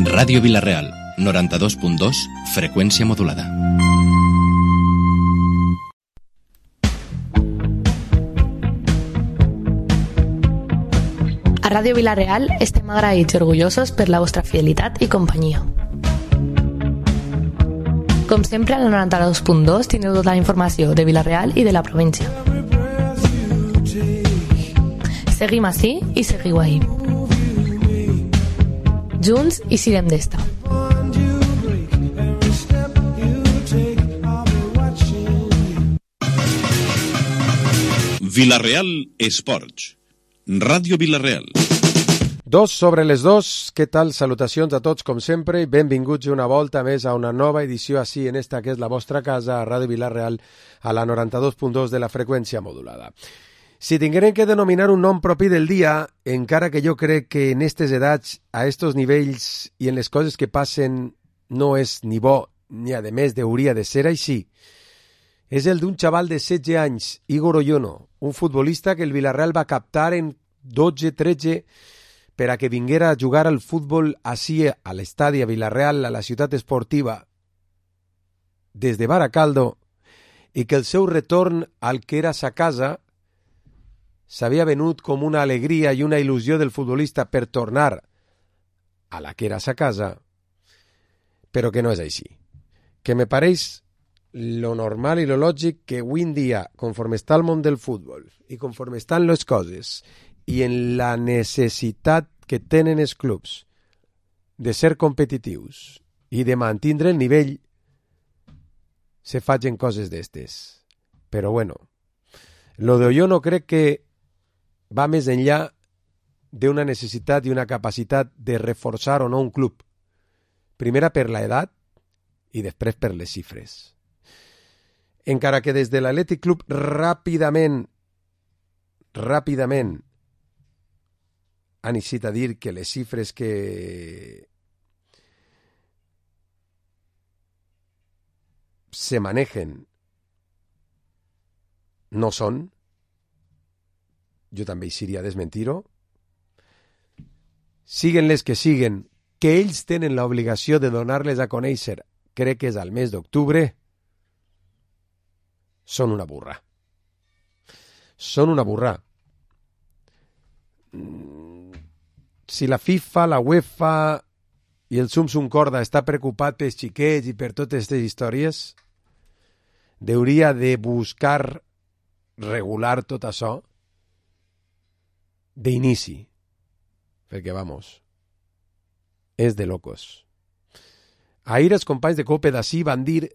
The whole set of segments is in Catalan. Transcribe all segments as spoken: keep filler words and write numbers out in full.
Ràdio Vila-real, noranta-dos punt dos, freqüència modulada. A Ràdio Vila-real estem agraïts i orgullosos per la vostra fidelitat i companyia. Com sempre, a la noranta-dos punt dos tindreu tota la informació de Vila-real i de la província. Seguim ací i seguiu ahí. Junts i sirem d'esta. Vila-real Esports. Ràdio Vila-real. Dos sobre les dos, què tal? Salutacions a tots com sempre i benvinguts una volta més a una nova edició així en esta que és la vostra casa, a Ràdio Vila-real, a la noranta-dos punt dos de la freqüència modulada. Si tinguérem que denominar un nom propi del dia, encara que jo crec que en aquestes edats, a estos nivells i en les coses que passen no és ni bo, ni a més hauria de ser així, és el d'un xaval de setze anys, Igor Oyono, un futbolista que el Villarreal va captar en dotze tretze per a que vinguera a jugar al futbol així a l'estadi a Villarreal, a la ciutat esportiva, des de Baracaldo, i que el seu retorn al que era sa casa s'havia venut com una alegria i una il·lusió del futbolista per tornar a la que era sa casa, però que no és així. Que me pareix lo normal i lo lògic que avui en dia, conforme està el món del futbol i conforme estan les coses i en la necessitat que tenen els clubs de ser competitius i de mantindre el nivell, se facin coses d'estes. Però bueno, lo de Oyono crec que va més enllà d'una necessitat i una capacitat de reforçar o no un club. Primera per l'edat i després per les xifres. Encara que des de l'Atlètic Club ràpidament, ràpidament han eixit a dir que les xifres que se manejen no són, jo també eixiria a desmentir-ho, siguen les que siguen, que ells tenen l'obligació de donar-les a conèixer, crec que és al mes d'octubre, són una burra. Són una burra. Si la FIFA, la UEFA i el Sumsum Corda està preocupat pels xiquets i per totes aquestes històries, hauria de buscar regular tot això d'inici, perquè, vamos, és de locos. Ahir els companys de Cope d'ací van dir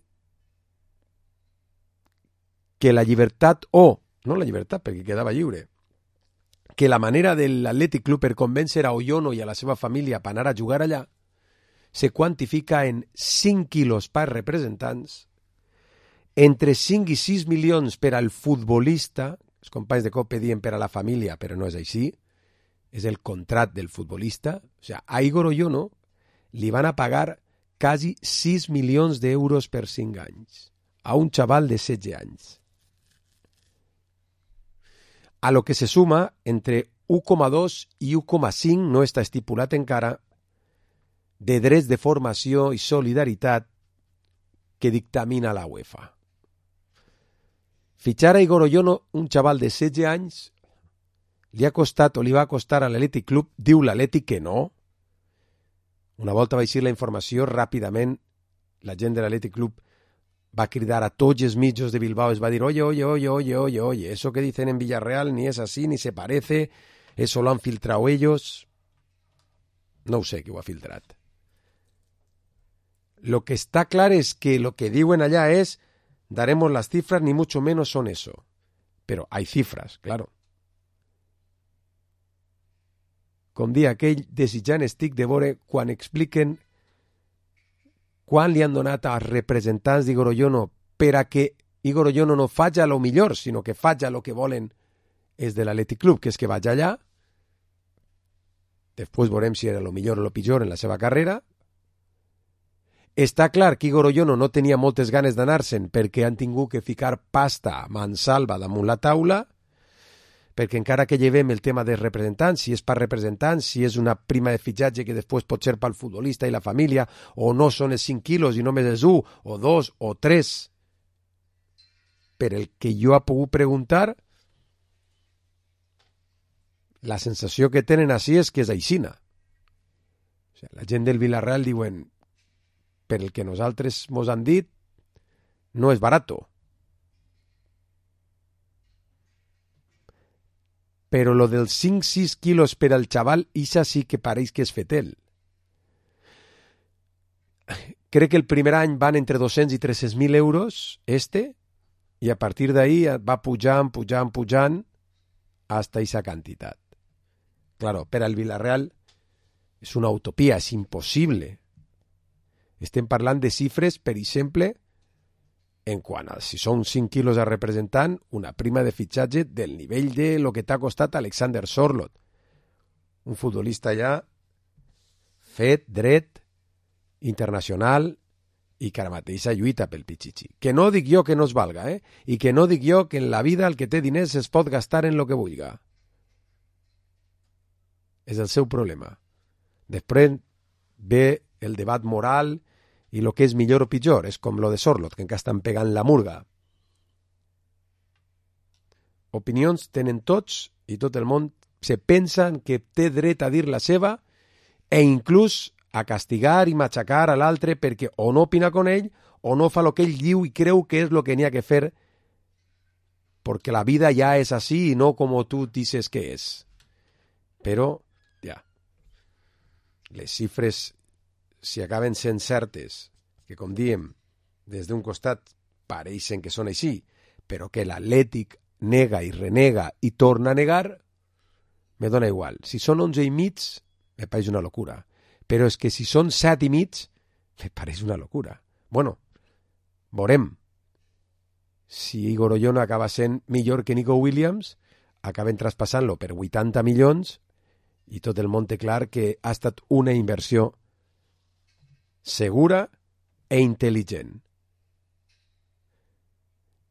que la llibertat, o, no la llibertat, perquè quedava lliure, que la manera de l'Atlètic Club per convèncer a Oyono i a la seva família per anar a jugar allà se quantifica en cinc quilos per representants, entre cinc i sis milions per al futbolista. Els companys de Cope diuen per a la família, però no és així, és el contrat del futbolista. O sigui, a Igor Oyono li van a pagar quasi sis milions d'euros per cinc anys, a un xaval de setze anys. A lo que se suma entre u coma dos i u coma cinc, no està estipulat encara, de drets de formació i solidaritat que dictamina la UEFA. Fitxar a Igor Oyono, un xaval de setze anys, li ha costat o li va costar a l'Atlètic Club, diu l'Atlètic que no. Una volta va eixir la informació, ràpidament la gent de l'Atlètic Club va cridar a tots els mitjos de Bilbao, es va dir, oye, oye, oye, oye, oye, oye, eso que dicen en Villarreal ni es así, ni se parece, eso lo han filtrado ellos. No ho sé qui ho ha filtrat. Lo que está claro es que lo que diuen allá es, daremos las cifras, ni mucho menos son eso. Pero hay cifras, claro. Com dia aquell, desitjant estic de veure quan expliquen quan li han donat als representants d'Igor Oyono per a que Igor Oyono no faci lo millor, sinó que faci lo que volen és de l'Atlètic Club, que és que vagi allà, després veurem si era lo millor o lo pitjor en la seva carrera. Està clar que Igor Oyono no tenia moltes ganes d'anar-se'n perquè han tingut que ficar pasta mansalva damunt la taula, perquè encara que llevem el tema dels representants, si és per representants, si és una prima de fitxatge que després pot ser pel futbolista i la família, o no són els cinc quilos i només és un, o dos, o tres, per el que jo he pogut preguntar, la sensació que tenen així és que és aixina. O sigui, la gent del Villarreal diuen, per el que nosaltres mos han dit, no és barato. Però lo dels cinc sis quilos per al xaval, ixa sí que pareix que és fetel. Crec que el primer any van entre dos-cents i tres-cents mil euros, este, i a partir d'ahí va pujant, pujant, pujant, hasta esa quantitat. Claro, per al Villarreal és una utopia, és impossible. Estem parlant de xifres, per exemple, en quant a si són cinc quilos a representant, una prima de fitxatge del nivell de lo que t'ha costat Alexander Sorloth. Un futbolista ja fet, dret, internacional i que ara mateix lluita pel Pichichi. Que no dic jo que no es valga, eh? I que no dic jo que en la vida el que té diners es pot gastar en lo que vulga. És el seu problema. Després ve el debat moral i el que és millor o pitjor, és com lo de Sorloth, que encara estan pegant la murga. Opinions tenen tots i tot el món se pensen que té dret a dir la seva e inclús a castigar i machacar a l'altre perquè o no opina con ell o no fa el que ell diu i creu que és el que n'hi ha que fer perquè la vida ja és així i no com tu dices que és. Però, ja, les xifres si acaben sent certes, que com diem, des d'un costat pareixen que són així, però que l'Atlètic nega i renega i torna a negar, me dona igual. Si són onze i mig, me pareix una locura. Però és que si són set i mig, me pareix una locura. Bueno, veurem. Si Igor Ollona acaba sent millor que Nico Williams, acaben traspassant-lo per vuitanta milions i tot el món té clar que ha estat una inversió segura e intel·ligent.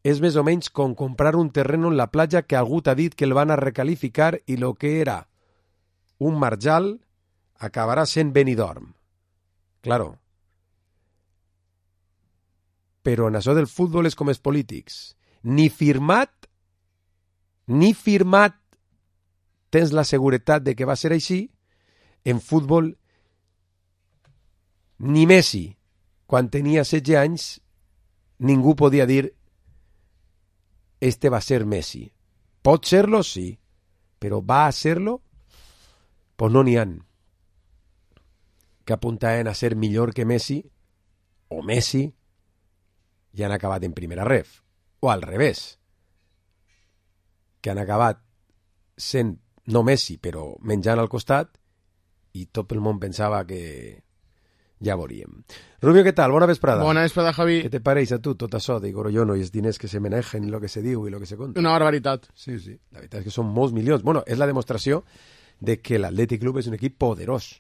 És més o menys com comprar un terreno en la platja que algú t'ha dit que el van a recalificar i lo que era un marjal acabarà sent Benidorm. Claro. Però en això del futbol és com els polítics. Ni firmat, ni firmat tens la seguretat de que va ser així. En futbol ni Messi, quan tenia setze anys, ningú podia dir este va ser Messi. Pot ser-lo, sí, però va a ser-lo? Pues no n'hi han que apuntaven a ser millor que Messi o Messi i han acabat en primera ref. O al revés, que han acabat sent no Messi, però menjant al costat i tot el món pensava que ja veuríem. Rubio, què tal? Bona vesprada. Bona vesprada, Javi. Què te pareix a tu tot això de Igor Ollona i els diners que se manejen i el que se diu i el que se conta? Una barbaritat. Sí, sí. La veritat és que són molts milions. Bueno, és la demostració de que l'Atlètic Club és un equip poderós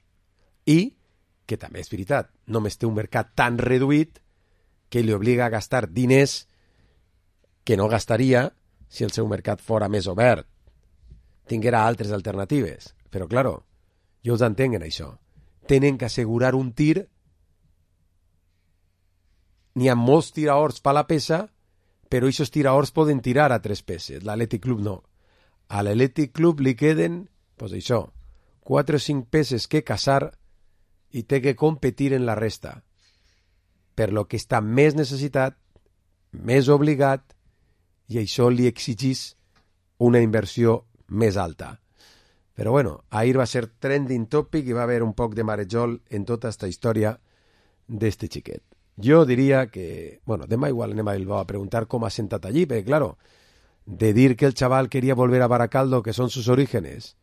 i que també és veritat, només té un mercat tan reduït que li obliga a gastar diners que no gastaria si el seu mercat fora més obert, tinguera altres alternatives. Però, claro, jo els entenc en això. Tenen que assegurar un tir. N'hi ha molts tiraors per la peça, però aquests tiraors poden tirar a tres peces. L'Atlètic Club no. A l'Atlètic Club li queden, pues això, quatre o cinc peces que caçar i té que competir en la resta. Per lo que està més necessitat, més obligat, i això li exigís una inversió més alta. Però bueno, ahir va ser trending topic i va haver un poc de marejol en tota aquesta història d'este xiquet. Jo diria que, bueno, demà igual anem a Bilbao a preguntar com ha sentat allí, perquè, claro, de dir que el chaval quería volver a Baracaldo, que son sus orígenes,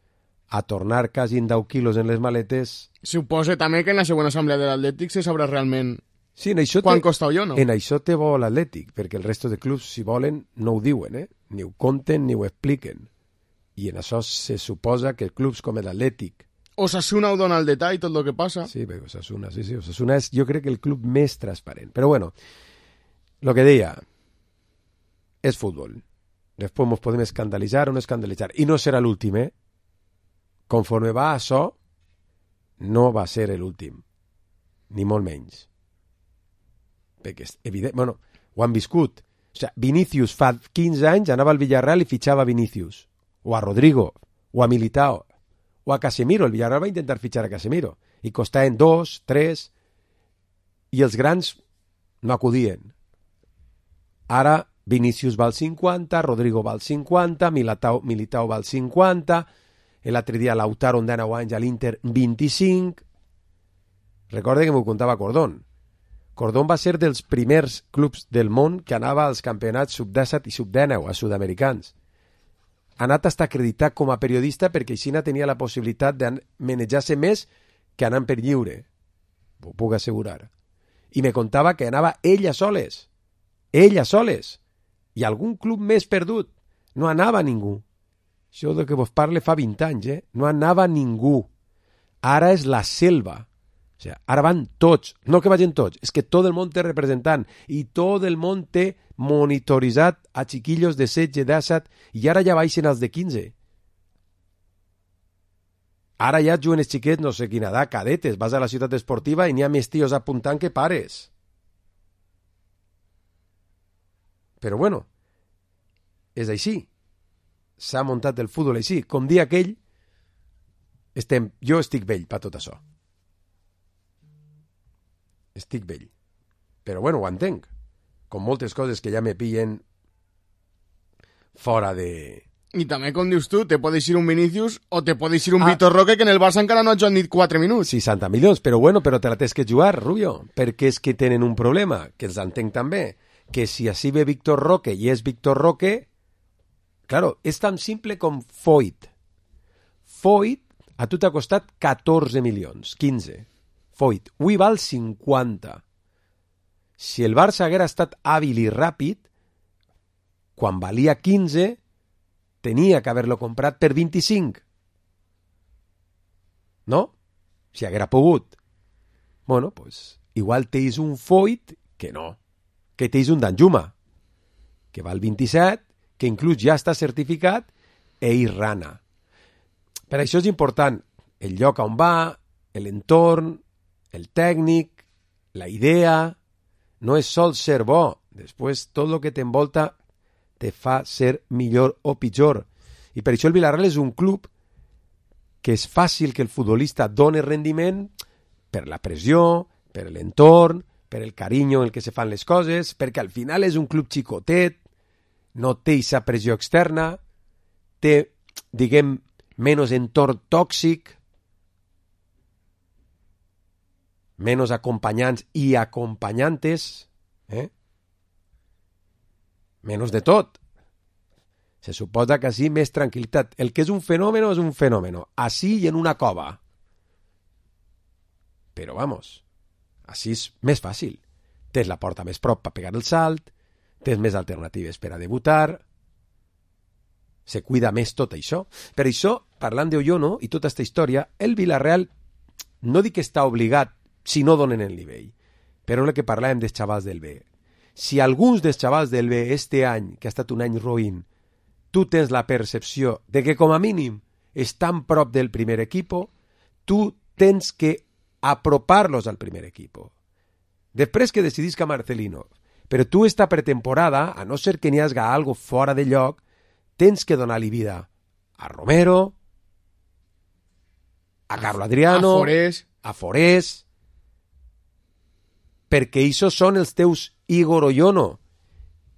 a tornar quasi en deu quilos en les maletes... Suposa també que en la següent assemblea de l'Atlètic se sabrà realment sí, en això quan te, costa o no. En això té bo l'Atlètic, perquè el resto de clubs, si volen, no ho diuen, eh? Ni ho conten ni ho expliquen. I en això se suposa que clubs com l'Atlètic... Osasuna ho dona el detall, tot el que passa. Sí, perquè Osasuna, sí, sí, Osasuna és, jo crec que el club més transparent. Però bueno, lo que deia, és futbol. Després ens podem escandalitzar o no escandalitzar. I no serà l'últim, eh? Conforme va això, no va ser l'últim. Ni molt menys. Perquè és evident... Bueno, ho han viscut. O sigui, Vinícius fa quinze anys anava al Villarreal i fitxava Vinícius. O a Rodrigo. O a Militao. O a Casemiro. El Villarreal va intentar fitxar a Casemiro. I costaven dos, tres... I els grans no acudien. Ara Vinícius val cinquanta, Rodrigo val cinquanta, Militao, Militao val cinquanta, l'altre dia Lautaro de nou anys a l'Inter vint-i-cinc. Recorda que m'ho contava Cordón. Cordón va ser dels primers clubs del món que anava als campionats sub disset i sub dinou, a sud-americans. Ha anat a estar acreditat com a periodista perquè així tenia la possibilitat de manejar-se més que anant per lliure. Ho puc assegurar. I me contava que anava ella soles. Ella soles. I algun club més perdut. No anava ningú. Això de que vos parle fa vint anys, eh? No anava ningú. Ara és la selva. O sigui, ara van tots. No que vagin tots, és que tot el món té representant i tot el món té monitoritzat a chiquillos de setze, disset i ara ja baixen els de quinze. Ara ja juguen els xiquets, no sé quina edat, cadetes. Vas a la ciutat esportiva i n'hi ha més tios apuntant que pares. Però bueno, és així. S'ha muntat el futbol així. Com dia aquell, estem, jo estic vell per tot això. Estic vell. Però bueno, ho entenc. Com moltes coses que ja me pillen fora de... I també, com dius tu, te pot eixir un Vinícius o te pot eixir un ah. Vitor Roque que en el Barça encara no ha jugat ni quatre minuts. seixanta milions, però bueno, però te la tens que jugar, Rubio, perquè és que tenen un problema, que els entenc també, que si així ve Víctor Roque i és Víctor Roque, claro, és tan simple com Foyt. Foyt a tu t'ha costat catorze milions, quinze. Foyt, avui val cinquanta. Si el Barça haguera estat hàbil i ràpid, quan valia quinze, tenia que haver-lo comprat per vint-i-cinc. No? Si haguera pogut. Bueno, pues, igual teis un Foyt que no. Que teis un Danjuma, que val vint-i-set, que inclús ja està certificat, e Irrana. Per això és important el lloc on va, l'entorn, el tècnic, la idea. No és sol ser bo. Després, tot el que t'envolta te fa ser millor o pitjor. I per això el Villarreal és un club que és fàcil que el futbolista doni rendiment per la pressió, per l'entorn, per el carinyo en el que se fan les coses, perquè al final és un club xicotet, no té aquesta pressió externa, té, diguem, menys entorn tòxic, menys acompanyants i acompanyantes, eh? Menys de tot. Se suposa que així més tranquil·litat. El que és un fenomen és un fenomen. Així i en una cova. Però, vamos, així és més fàcil. Tens la porta més prop per pegar el salt, tens més alternatives per a debutar, se cuida més tot això. Per això, parlant d'Oyono i tota aquesta història, el Villarreal no dic que està obligat si no donen el nivell, però el que parlàvem dels xavals del B. Si alguns dels xavals del B este any, que ha estat un any roïn, tu tens la percepció de que com a mínim estan prop del primer equipo, tu tens que apropar-los al primer equipo. Després que decidisca Marcelino, però tu esta pretemporada, a no ser que n'hi hagi algo fora de lloc, tens que donar-li vida a Romero, a Carlo Adriano, a Forés, a Forés, perquè això són els teus Igor Oyono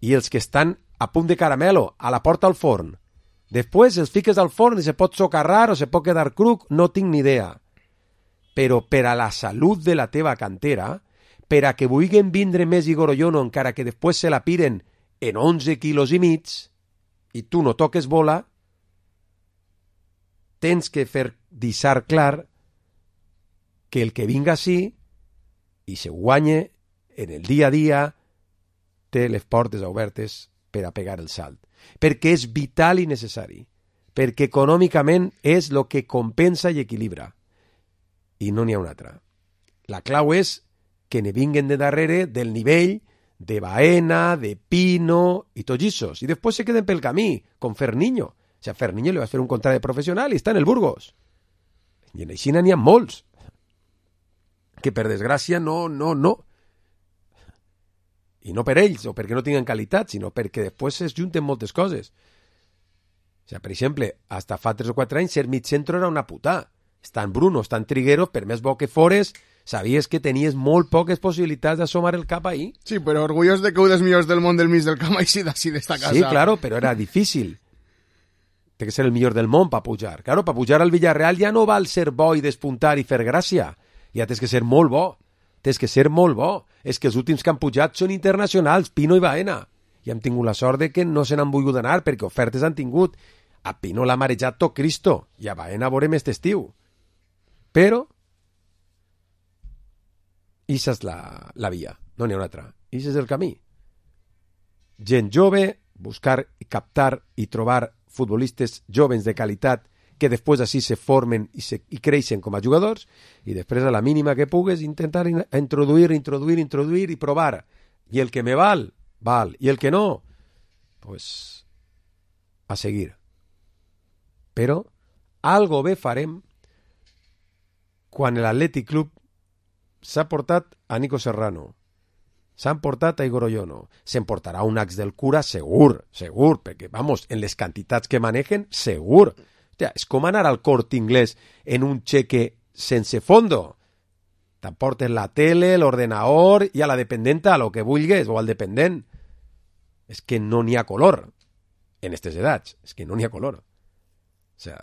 i els que estan a punt de caramelo, a la porta al forn. Després els fiques al forn i se pot socarrar o se pot quedar cruc, no tinc ni idea. Però per a la salut de la teva cantera, per a que vulguin vindre més Igor Oyono encara que després se la piren en onze quilos i mig i tu no toques bola, tens que fer deixar clar que el que vinga així i se guanye en el dia a dia té les portes obertes per a pegar el salt. Perquè és vital i necessari. Perquè econòmicament és el que compensa i equilibra. I no n'hi ha una altra. La clau és que ne vinguen de darrere del nivell de Baena, de Pino i tots issos. I després se queden pel camí, com Ferniño. O sigui, a Ferniño li va fer un contracte professional i està en el Burgos. I en Aixina n'hi ha molts. Que per desgràcia no, no, no. I no per ells, o perquè no tinguen qualitat, sinó perquè després es junten moltes coses. O sigui, per exemple, hasta fa tres o quatre anys ser mig centro era una puta. Estan Bruno, estan Trigueros, per més bo que fores, sabies que tenies molt poques possibilitats d'assomar el cap ahí. Sí, però orgullós de que un dels millors del món del mig del camp així d'ací d'esta casa. Sí, claro, però era difícil. Té que ser el millor del món per pujar. Claro, per pujar al Villarreal ja no val ser bo i despuntar i fer gràcia. Ja tens que ser molt bo. Tens que ser molt bo. És que els últims que han pujat són internacionals, Pino i Baena. I hem tingut la sort de que no se n'han volgut anar perquè ofertes han tingut. A Pino l'ha marejat tot Cristo i a Baena veurem este estiu. Però ixa és la, la via, no n'hi ha una altra. Ixa és el camí. Gent jove, buscar, captar i trobar futbolistes jovens de qualitat que després així se formen i, se, i creixen com a jugadors i després a la mínima que pugues intentar in, introduir, introduir, introduir i provar. I el que me val, val. I el que no, pues a seguir. Però algo bé farem quan l'Atlètic Club s'ha portat a Nico Serrano, s'han portat a Igor Oyono, s'emportarà un ax del cura segur, segur, perquè, vamos, en les quantitats que manejen, segur. Hòstia, és com anar al Corte Inglés en un cheque sense fondo. T'emportes la tele, l'ordenador i a la dependenta a lo que vulgues, o al dependent. És que no n'hi ha color en aquestes edats, és que no n'hi ha color. O sea,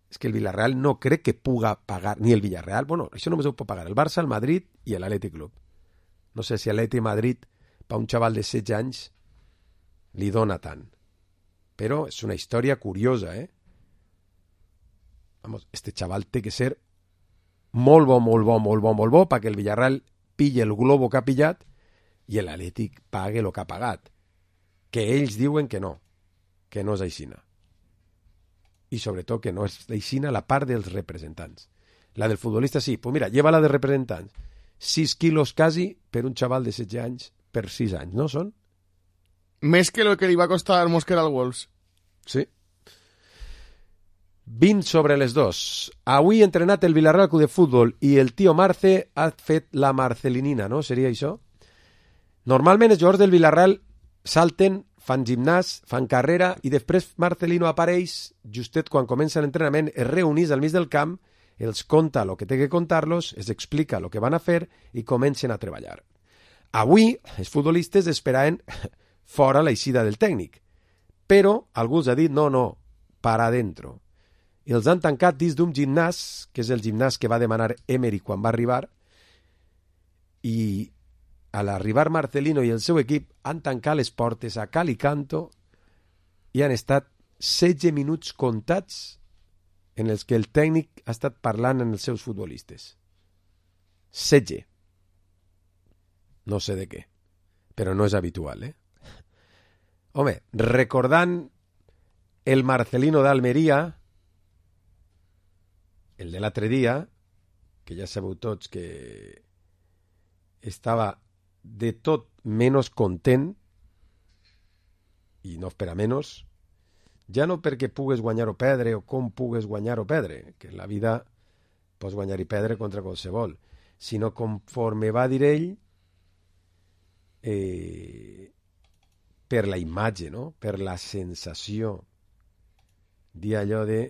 és que el Villarreal no crec que puga pagar, ni el Villarreal, bueno, això només ho pot pagar el Barça, el Madrid i l'Atlètic Club. No sé si l'Atlètic Madrid, per un xaval de setze anys, li dona tant. Però és una història curiosa, eh? Vamos, este xaval té que ser molt bo, molt bo, molt bo, molt bo, perquè el Villarreal pille el globo que ha pillat i l'Atlètic pague el que ha pagat. Que ells diuen que no, que no és aixina. I sobretot que no és aixina la part dels representants. La del futbolista sí, pues mira, lleva la de representants. sis quilos quasi per un xaval de setze anys per sis anys, no són? Més que el que li va costar al Mosquera al Wolves. Sí. vint sobre les dos. Avui entrenat el Villarreal Club de Futbol i el tio Marce ha fet la marcelinina, no? Seria això? Normalment els jugadors del Villarreal salten, fan gimnàs, fan carrera i després Marcelino apareix justet quan comença l'entrenament, es reunís al mig del camp, els conta el que té que contar-los, es explica el que van a fer i comencen a treballar. Avui els futbolistes esperaven fora l'eixida del tècnic, però algú els ha dit no, no, para adentro. I els han tancat dins d'un gimnàs, que és el gimnàs que va demanar Emery quan va arribar, i a l'arribar Marcelino i el seu equip han tancat les portes a cal i canto i han estat setze minuts comptats en els que el tècnic ha estat parlant amb els seus futbolistes. setze. No sé de què, però no és habitual, eh? Home, recordant el Marcelino d'Almeria, el de l'altre dia, que ja sabeu tots que estava de tot menys content, i no per a menys, ja no perquè pugues guanyar o perdre o com pugues guanyar o perdre, que en la vida pots guanyar i perdre contra qualsevol, sinó conforme va dir ell, eh, per la imatge, no? Per la sensació, dir allò de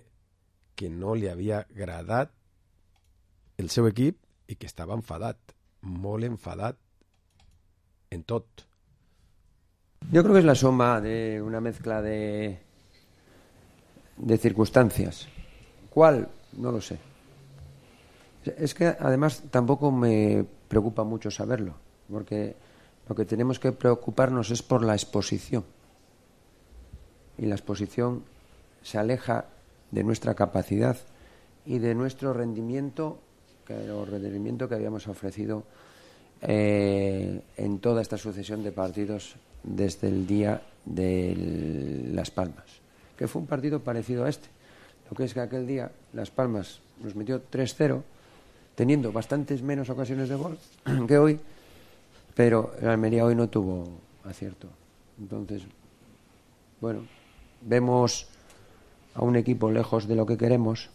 que no li havia agradat el seu equip i que estava enfadat, molt enfadat en tot. Yo creo que es la suma de una mezcla de, de circunstancias. ¿Cuál? No lo sé. Es que además tampoco me preocupa mucho saberlo, porque lo que tenemos que preocuparnos es por la exposición. Y la exposición se aleja de nuestra capacidad y de nuestro rendimiento, que el rendimiento que habíamos ofrecido eh, en toda esta sucesión de partidos desde el día de Las Palmas, que fue un partido parecido a este. Lo que es que aquel día Las Palmas nos metió tres cero, teniendo bastantes menos ocasiones de gol que hoy, pero el Almería hoy no tuvo acierto. Entonces, bueno, vemos a un equipo lejos de lo que queremos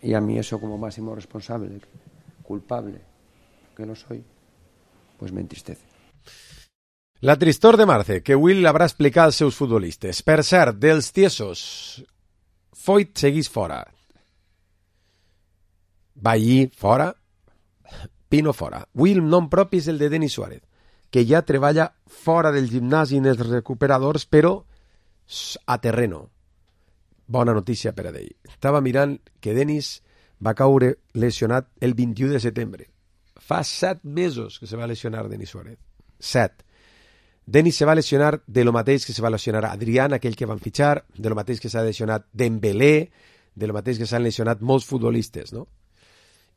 y a mí eso como máximo responsable, culpable, que no soy, pues me entristece. La tristor de Marce, que Will haurà explicat als seus futbolistes. Per cert, dels tiesos, Foyt seguís fora. Ballí fora, Pino fora. Will nom propi és el de Denis Suárez, que ja treballa fora del gimnàs i en els recuperadors, però a terreno. Bona notícia per a ell. Estava mirant que Denis va caure lesionat el vint-i-u de setembre. Fa set mesos que se va lesionar Denis Suárez. Set. Denis se va lesionar de lo mateix que se va lesionar Adrián, aquell que van fitxar, de lo mateix que s'ha lesionat Dembélé, de lo mateix que s'han lesionat molts futbolistes, no?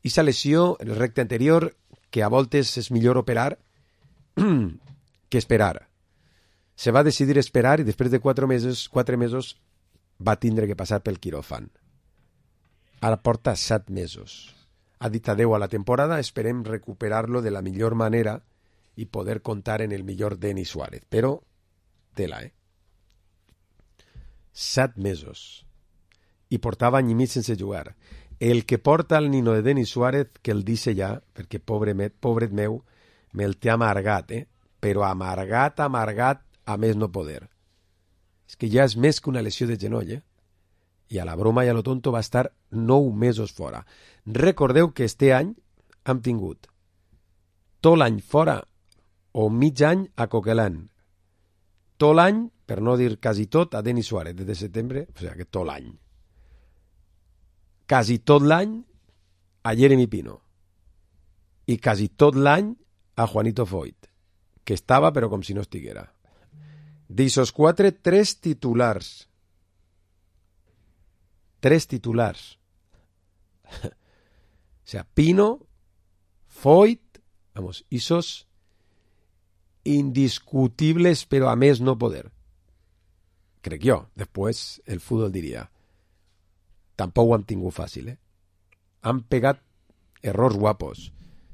I sa lesió, en el recte anterior, que a voltes és millor operar que esperar. Se va decidir esperar i després de quatre mesos, quatre mesos va tindre que passar pel quiròfan. Ara porta set mesos. Ha dit adeu a la temporada, esperem recuperar-lo de la millor manera i poder contar en el millor Denis Suárez. Però, tela, eh? Set mesos. I portava any i mig sense jugar. El que porta el nino de Denis Suárez, que el dice ja, perquè pobre met, pobret meu, me'l té amargat, eh? Però amargat, amargat, a més no poder. És que ja és més que una lesió de genoll, eh? I a la broma i a lo tonto va estar nou mesos fora. Recordeu que este any hem tingut tot l'any fora o mig any a Coquelin. Tot l'any, per no dir quasi tot, a Denis Suárez, des de setembre, o sigui que tot l'any. Quasi tot l'any a Jeremy Pino. I quasi tot l'any a Juanito Foyt, que estava però com si no estiguera. D'ixos quatre, tres titulars. Tres titulars. O sea, Pino, Foyt, vamos, ixos indiscutibles, però a més no poder. Crec jo. Després el futbol diria tampoc ho han tingut fàcil, eh? Han pegat errors guapos.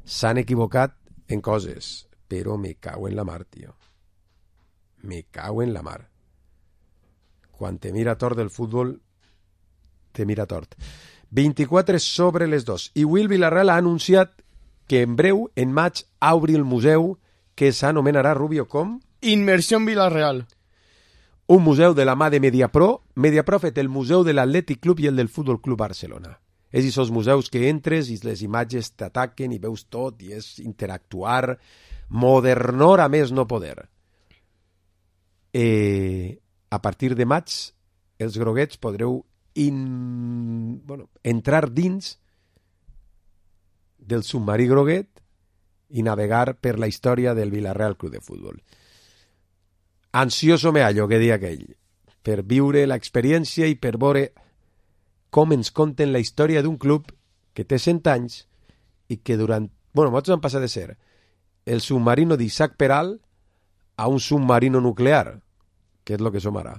S'han equivocat en coses, però me cago en la mar, tio. Me cago en la mar. Quan te mira tort del futbol, te mira tort. vint-i-quatre sobre les dos. I Will Villarreal ha anunciat que en breu, en maig, obri el museu que s'anomenarà, Rubio, com? Inmersió Villarreal. Un museu de la mà de Mediapro. Mediapro ha fet el museu de l'Atlètic Club i el del Futbol Club Barcelona. És aquests museus que entres i les imatges t'ataquen i veus tot i és interactuar, modernor a més no poder. Eh, a partir de maig, els groguets podreu in... bueno, entrar dins del submarí groguet i navegar per la història del Villarreal Club de Futbol. Ansioso me hallo, que dia aquell, per viure l'experiència i per veure com ens conten la història d'un club que té cent anys i que durant... bueno, nosaltres han passat de ser el submarino d'Isaac Peral a un submarino nuclear, que és el que som ara.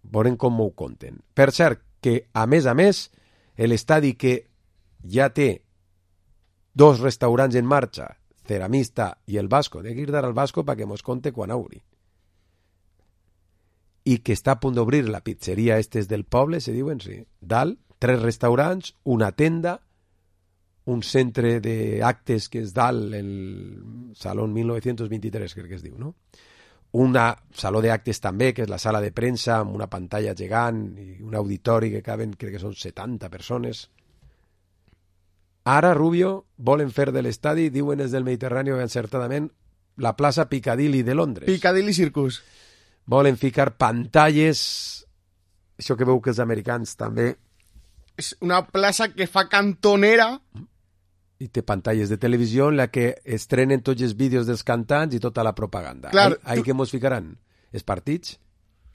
Veurem com ho conten. Per cert, que a més a més, l'estadi que ja té dos restaurants en marxa, Ceramista i el Vasco, de Guirdar al Vasco perquè mos conte quan obri. I que està a punt d'obrir la pizzeria estes del poble, se diuen, sí. Dalt, tres restaurants, una tenda, un centre d'actes que és dalt, el Salón mil nou-cents vint-i-tres, crec que es diu, no? Una saló d'actes també, que és la sala de premsa, amb una pantalla gegant i un auditori que caben, crec que són setanta persones. Ara, Rubio, volen fer de l'estadi, diuen des del Mediterrani encertadament, la plaça Piccadilly de Londres. Piccadilly Circus. Volen ficar pantalles, això que veu que els americans també... És una plaça que fa cantonera... I té pantalles de televisió en la que estrenen tots els vídeos dels cantants i tota la propaganda. Clar, ahí, ahí tu... que mos ficaran? Els partits?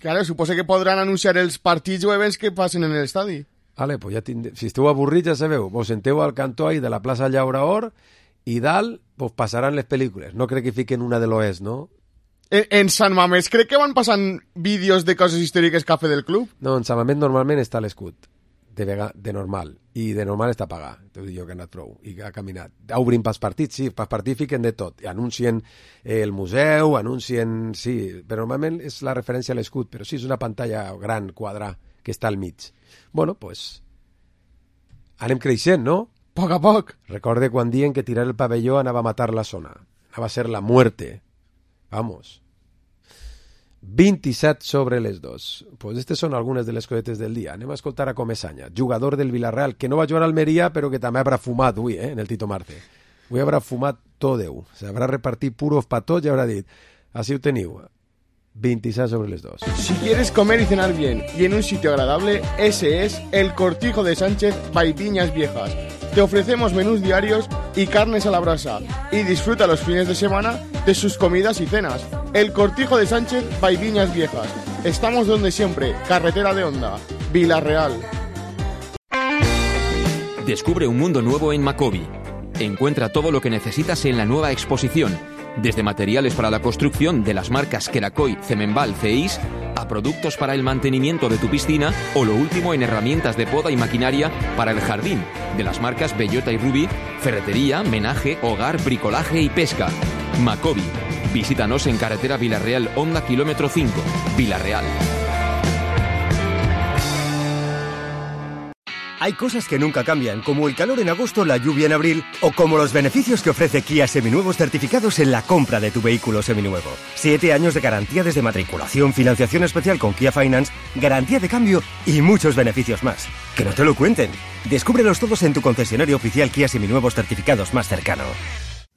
Claro, suposa que podran anunciar els partits o events que passen en l'estadi. Vale, pues ja tindre... Si esteu avorrits, ja sabeu, vos senteu al cantó ahí de la plaça Llauraor i dalt vos passaran les pel·lícules. No crec que fiquen una de l'Oest, no? En, en Sant Mamés crec que van passant vídeos de coses històriques que ha fet el club? No, en Sant Mamés normalment està l'escut de, vega, de normal, i de normal està pagat, t'ho dic jo que ha anat prou, i ha caminat. Obrin pels partits, sí, pels partits fiquen de tot, i anuncien eh, el museu, anuncien, sí, però normalment és la referència a l'escut, però sí, és una pantalla gran, quadra, que està al mig. Bueno, pues, anem creixent, no? A poc a poc. Recorde quan diuen que tirar el pavelló anava a matar la zona, anava a ser la muerte. Vamos. vint-i-set sobre les dos. Pues aquestes són algunes de les cosetes del dia. Anem a escoltar a Comesaña, jugador del Villarreal, que no va jugar a Almeria, però que també haurà fumat avui, eh, en el Tito Marte. Avui haurà fumat tot Déu. S'haurà repartit puros pa tots i haurà dit, així ho teniu, veintisiete sobre les dos. Si quieres comer y cenar bien y en un sitio agradable, ese es el Cortijo de Sánchez by Viñas Viejas. Te ofrecemos menús diarios y carnes a la brasa y disfruta los fines de semana de sus comidas y cenas. El Cortijo de Sánchez by Viñas Viejas. Estamos donde siempre, carretera de Honda, Villarreal. Descubre un mundo nuevo en Macobi. Encuentra todo lo que necesitas en la nueva exposición, desde materiales para la construcción de las marcas Kerakoy, Cemenbal, Ceis, a productos para el mantenimiento de tu piscina o lo último en herramientas de poda y maquinaria para el jardín, de las marcas Bellota y Ruby, ferretería, menaje, hogar, bricolaje y pesca. Macobi. Visítanos en carretera Villarreal, Honda kilómetro cinco, Villarreal. Hay cosas que nunca cambian, como el calor en agosto, la lluvia en abril, o como los beneficios que ofrece Kia Seminuevos certificados en la compra de tu vehículo seminuevo. Siete años de garantía desde matriculación, financiación especial con Kia Finance, garantía de cambio y muchos beneficios más. Que no te lo cuenten. Descúbrelos todos en tu concesionario oficial Kia Seminuevos certificados más cercano.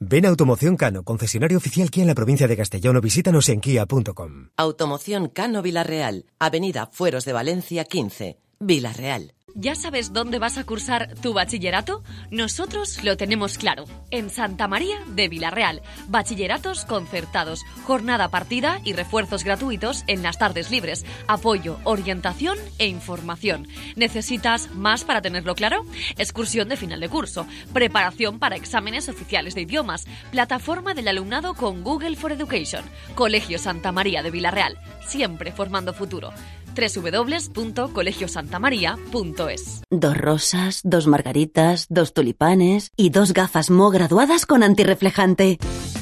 Ven a Automoción Cano, concesionario oficial Kia en la provincia de Castellón, o visítanos en kia punto com. Automoción Cano Villarreal, Avenida Fueros de Valencia quince, Villarreal. ¿Ya sabes dónde vas a cursar tu bachillerato? Nosotros lo tenemos claro. En Santa María de Villarreal. Bachilleratos concertados, jornada partida y refuerzos gratuitos en las tardes libres. Apoyo, orientación e información. ¿Necesitas más para tenerlo claro? Excursión de final de curso, preparación para exámenes oficiales de idiomas, plataforma del alumnado con Google for Education. Colegio Santa María de Villarreal, siempre formando futuro. doble u doble u doble u punto colegio santa maría punto es. Dos rosas, dos margaritas, dos tulipanes y dos gafas Mo graduadas con antirreflejante.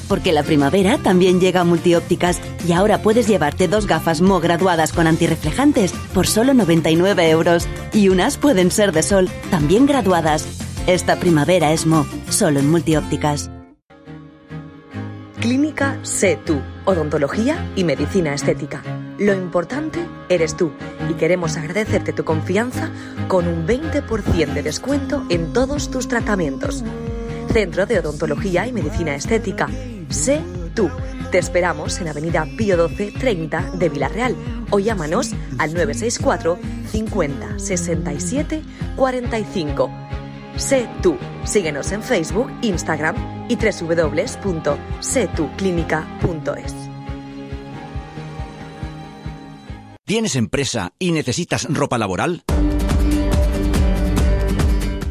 Porque la primavera también llega a Multiópticas y ahora puedes llevarte dos gafas Mo graduadas con antirreflejantes por solo noventa y nueve euros. Y unas pueden ser de sol, también graduadas. Esta primavera es Mo, solo en Multiópticas. Clínica Sé Tú, odontología y medicina estética. Lo importante eres tú y queremos agradecerte tu confianza con un veinte por ciento de descuento en todos tus tratamientos. Centro de Odontología y Medicina Estética. Sé Tú. Te esperamos en Avenida Pío doce treinta de Villarreal o llámanos al nueve seis cuatro cincuenta sesenta y siete cuarenta y cinco. Sé Tú. Síguenos en Facebook, Instagram y doble u doble u doble u punto sé tú clínica punto es. ¿Tienes empresa y necesitas ropa laboral?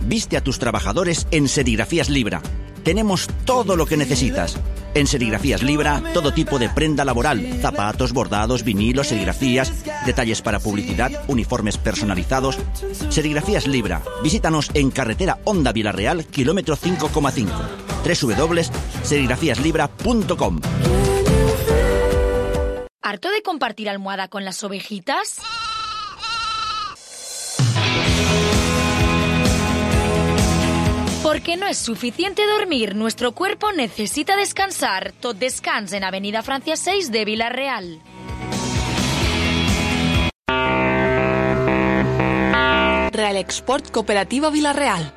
Viste a tus trabajadores en Serigrafías Libra. Tenemos todo lo que necesitas. En Serigrafías Libra, todo tipo de prenda laboral, zapatos, bordados, vinilos, serigrafías, detalles para publicidad, uniformes personalizados. Serigrafías Libra. Visítanos en carretera Honda Villarreal, kilómetro cinco coma cinco. doble u doble u doble u punto serigrafías libra punto com. ¿Harto de compartir almohada con las ovejitas? Porque no es suficiente dormir, nuestro cuerpo necesita descansar. Tot Descans en Avenida Francia seis de Villarreal. Real Export Cooperativa Villarreal.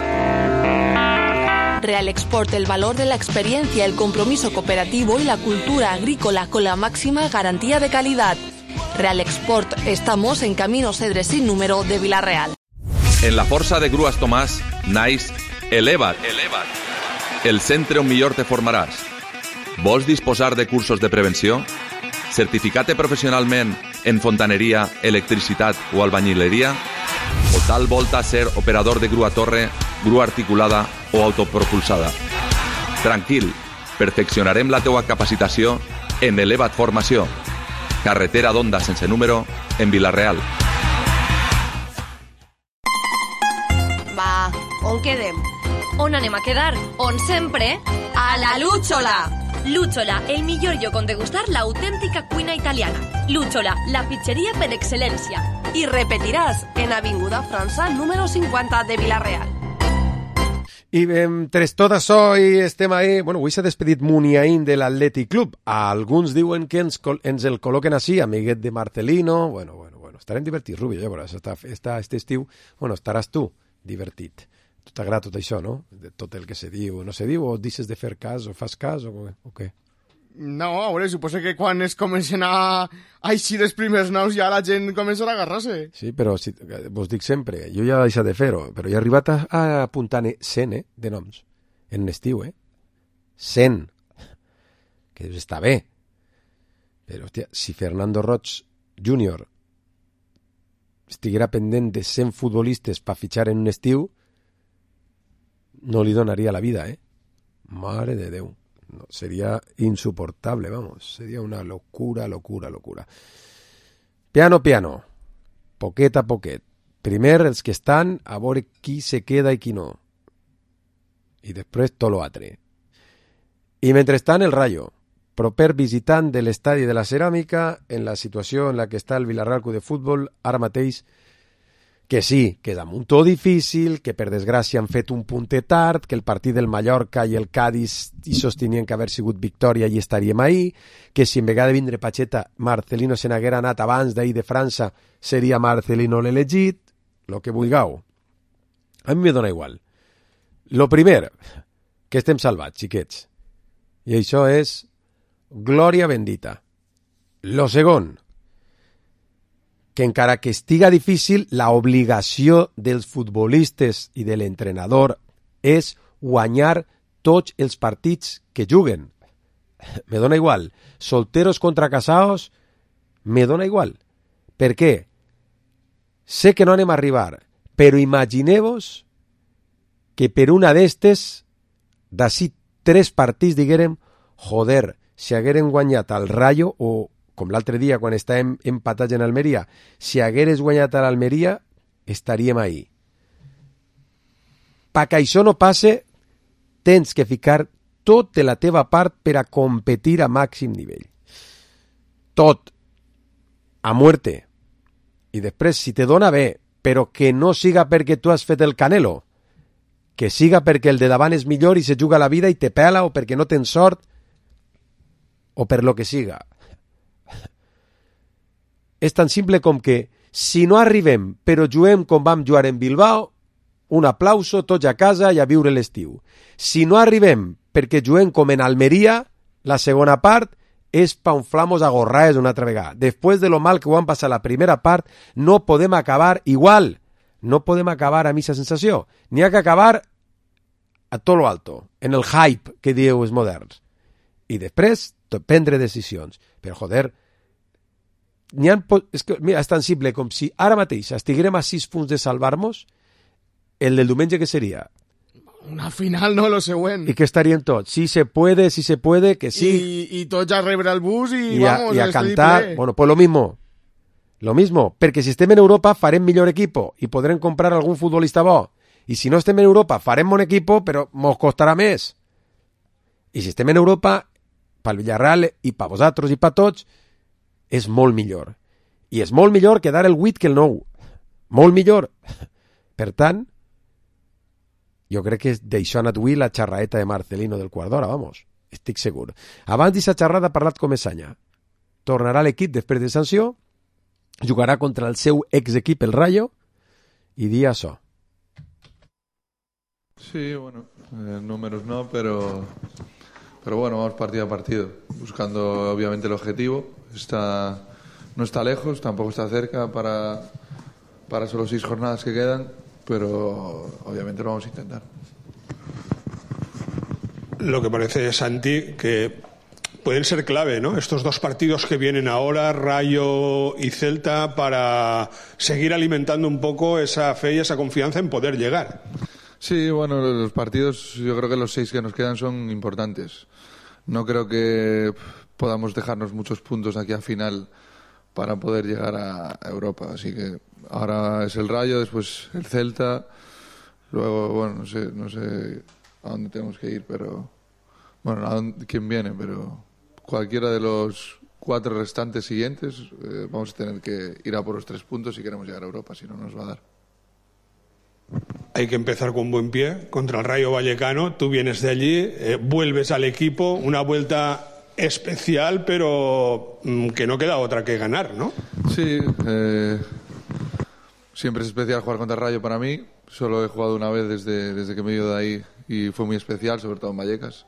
Real Export, el valor de la experiencia, el compromiso cooperativo y la cultura agrícola con la máxima garantía de calidad. Real Export, estamos en Camino Cedre sin número de Villarreal. En la Força de Grues Tomàs, naix Eleva't. Eleva't. El centre on millor te formaràs. Vols disposar de cursos de prevenció? Certificat professionalment en fontaneria, electricitat o albañileria? O tal volta ser operador de grua torre, grua articulada o autopropulsada? Tranquil, perfeccionarem la teua capacitació en Eleva't Formació. Carretera d'Onda sense número en Villarreal. on quedem. On anem a quedar? On sempre? A la Lúchola! Lúchola, el millor lloc on degustar l'autèntica cuina italiana. Lúchola, la pizzeria per excel·lència. I repetiràs en Avinguda França número cinquanta de Vila-real. I entre tot això i estem ahí, bueno, avui s'ha despedit Muniain de l'Atlètic Club. Alguns diuen que ens, ens el col·loquen així, amiguet de Marcelino. Bueno, bueno, bueno, estarem divertits, Rubio, ja veuràs, està, està, este estiu, bueno, estaràs tu divertit. Tu t'agrada tot això, no? De tot el que se diu o no se diu, o deixes de fer cas o fas cas o, o què? No, a veure, suposo que quan es comencen a així els primers noms ja la gent començarà a agarrar-se. Sí, però si, vos dic sempre, jo ja he deixat de fer-ho, però he arribat a, a apuntar cent eh, de noms en estiu, eh? cent. Que està bé. Però, hòstia, si Fernando Roig júnior estiguera pendent de cent futbolistes per fitxar en un estiu, no li donaria la vida, eh? Mare de Déu. No, sería insoportable, vamos. Sería una locura, locura, locura. Piano, piano. Poquet a poquet. Primer els que estan, a veure qui se queda i qui no. I després tot l'altre. I mentrestant el Rayo, proper visitant de l'estadi de la Ceràmica, en la situació en la que està el Villarreal Club de Futbol, ara mateix, que sí, que és un to difícil, que per desgràcia han fet un puntet tard, que el partit del Mallorca i el Cádiz hi sostenien que haver sigut victòria i estaríem ahí, que si en vegada de vindre Pacheta Marcelino se n'haguera anat abans d'ahir de França seria Marcelino l'elegit, lo que vulgueu. A mi me dona igual. Lo primer, que estem salvats, xiquets. I això és glòria bendita. Lo segon, que encara que estiga difícil, la obligació dels futbolistes i de l'entrenador és guanyar tots els partits que juguen. Me dona igual. Solteros contra casados, me dona igual. Per què? Sé que no anem a arribar, però imagineu-vos que per una d'estes, d'ací tres partits, diguérem, joder, si hagueren guanyat al Rayo o com l'altre dia quan estàvem empatats en Almeria, si hagueres guanyat a l'Almeria, estaríem ahí. Perquè això no passe, tens que ficar tot de la teva part per a competir a màxim nivell. Tot. A muerte. I després, si te dona bé, però que no siga perquè tu has fet el Canelo, que siga perquè el de davant és millor i se juga la vida i te pela, o perquè no tens sort, o per lo que siga. És tan simple com que si no arribem però juguem com vam jugar en Bilbao, un aplauso, tots a casa i a viure l'estiu. Si no arribem perquè juguem com en Almeria, la segona part és pa unflamos a gorraes una altra vegada. Després de lo mal que ho han passat la primera part, no podem acabar igual. No podem acabar amb aquesta sensació. N'hi ha que acabar a tot lo alto, en el hype que dieu els moderns. I després prendre decisions. Però, joder, n'hi ha, és, que, mira, és tan simple com si ara mateix estiguérem a sis punts de salvar-nos, el del diumenge que seria? Una final, no, lo següent. I que estarien tots? Si se puede, si se puede, que sí. I, i tots a rebre el bus i, I a, vamos, i a cantar. Ple. Bueno, pues lo mismo. Lo mismo, perquè si estem en Europa farem millor equipo i podrem comprar algun futbolista bo. I si no estem en Europa farem bon equipo, però mos costarà més. I si estem en Europa, pel Villarreal i per vosaltres i per tots, és molt millor. I és molt millor quedar el vuit que el nou. Molt millor. Per tant, jo crec que d'això ha anat avui la xarraeta de Marcelino del quart d'hora, vamos. Estic segur. Abans d'aquesta xarrada ha parlat Comesaña. Tornarà a l'equip després de sanció, jugarà contra el seu ex-equip, el Rayo, i dia això. Sí, bueno, eh, números no, pero... Pero bueno, vamos partido a partido, buscando obviamente el objetivo. Está, no está lejos, tampoco está cerca para, para solo seis jornadas que quedan, pero obviamente lo vamos a intentar. Lo que parece, Santi, que pueden ser clave, ¿no? Estos dos partidos que vienen ahora, Rayo y Celta, para seguir alimentando un poco esa fe y esa confianza en poder llegar. Sí, bueno, los partidos, yo creo que los seis que nos quedan son importantes. No creo que podamos dejarnos muchos puntos aquí a final para poder llegar a Europa. Así que ahora es el Rayo, después el Celta. Luego, bueno, no sé, no sé a dónde tenemos que ir, pero bueno, a dónde, quién viene, pero cualquiera de los cuatro restantes siguientes eh, vamos a tener que ir a por los tres puntos si queremos llegar a Europa, si no nos va a dar. Hay que empezar con buen pie contra el Rayo Vallecano. Tú vienes de allí, eh, vuelves al equipo, una vuelta especial, pero mmm, que no queda otra que ganar, ¿no? Sí, eh, siempre es especial jugar contra el Rayo para mí. Solo he jugado una vez desde, desde que me he ido de ahí y fue muy especial, sobre todo en Vallecas.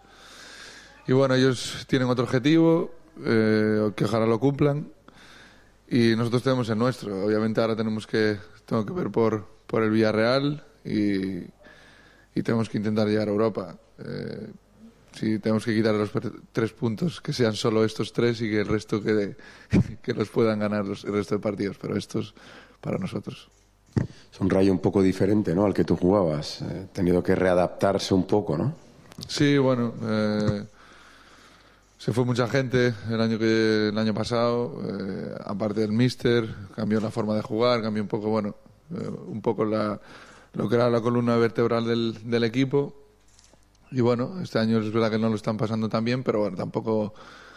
Y bueno, ellos tienen otro objetivo, eh, que ojalá lo cumplan, y nosotros tenemos el nuestro. Obviamente ahora tenemos que, tengo que ver por, por el Villarreal y, y tenemos que intentar llegar a Europa. Eh, si tenemos que quitar los tres puntos, que sean solo estos tres y que el resto quede, que los puedan ganar los, el resto de partidos, pero estos para nosotros. Es un Rayo un poco diferente, ¿no?, al que tú jugabas. Eh, tenido que readaptarse un poco, ¿no? Sí, bueno, eh, se fue mucha gente el año que el año pasado, eh, aparte del míster, cambió la forma de jugar, cambió un poco, bueno, eh, un poco la, lo que era la columna vertebral del, del equipo. Y bueno, este año es verdad que no lo están pasando tan bien, pero bueno, tampoco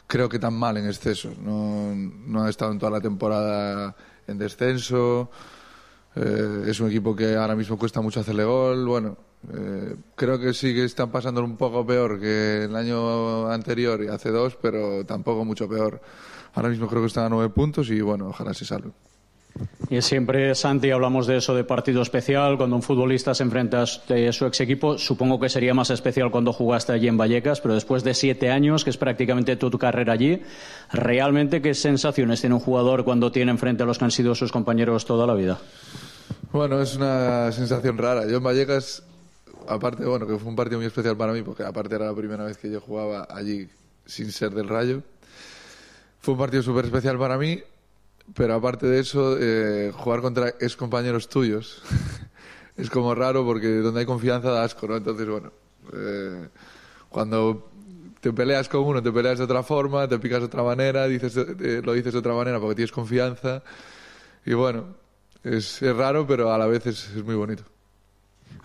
creo que tan mal en exceso. No, no ha estado en toda la temporada en descenso. Eh, es un equipo que ahora mismo cuesta mucho hacerle gol. Bueno, eh, creo que sí que están pasando un poco peor que el año anterior y hace dos, pero tampoco mucho peor. Ahora mismo creo que están a nueve puntos y bueno, ojalá se salven. Y siempre, Santi, hablamos de eso de partido especial, cuando un futbolista se enfrenta a su ex equipo. Supongo que sería más especial cuando jugaste allí en Vallecas, pero después de siete años, que es prácticamente tu, tu carrera allí, ¿realmente qué sensaciones tiene un jugador cuando tiene enfrente a los que han sido sus compañeros toda la vida? Bueno, es una sensación rara. Yo en Vallecas, aparte, bueno, que fue un partido muy especial para mí, porque aparte era la primera vez que yo jugaba allí sin ser del Rayo. Fue un partido súper especial para mí. Pero aparte de eso, eh, jugar contra ex compañeros tuyos es como raro porque donde hay confianza da asco, ¿no? Entonces, bueno, eh, cuando te peleas con uno, te peleas de otra forma, te picas de otra manera, dices, eh, lo dices de otra manera porque tienes confianza. Y bueno, es, es raro, pero a la vez es, es muy bonito.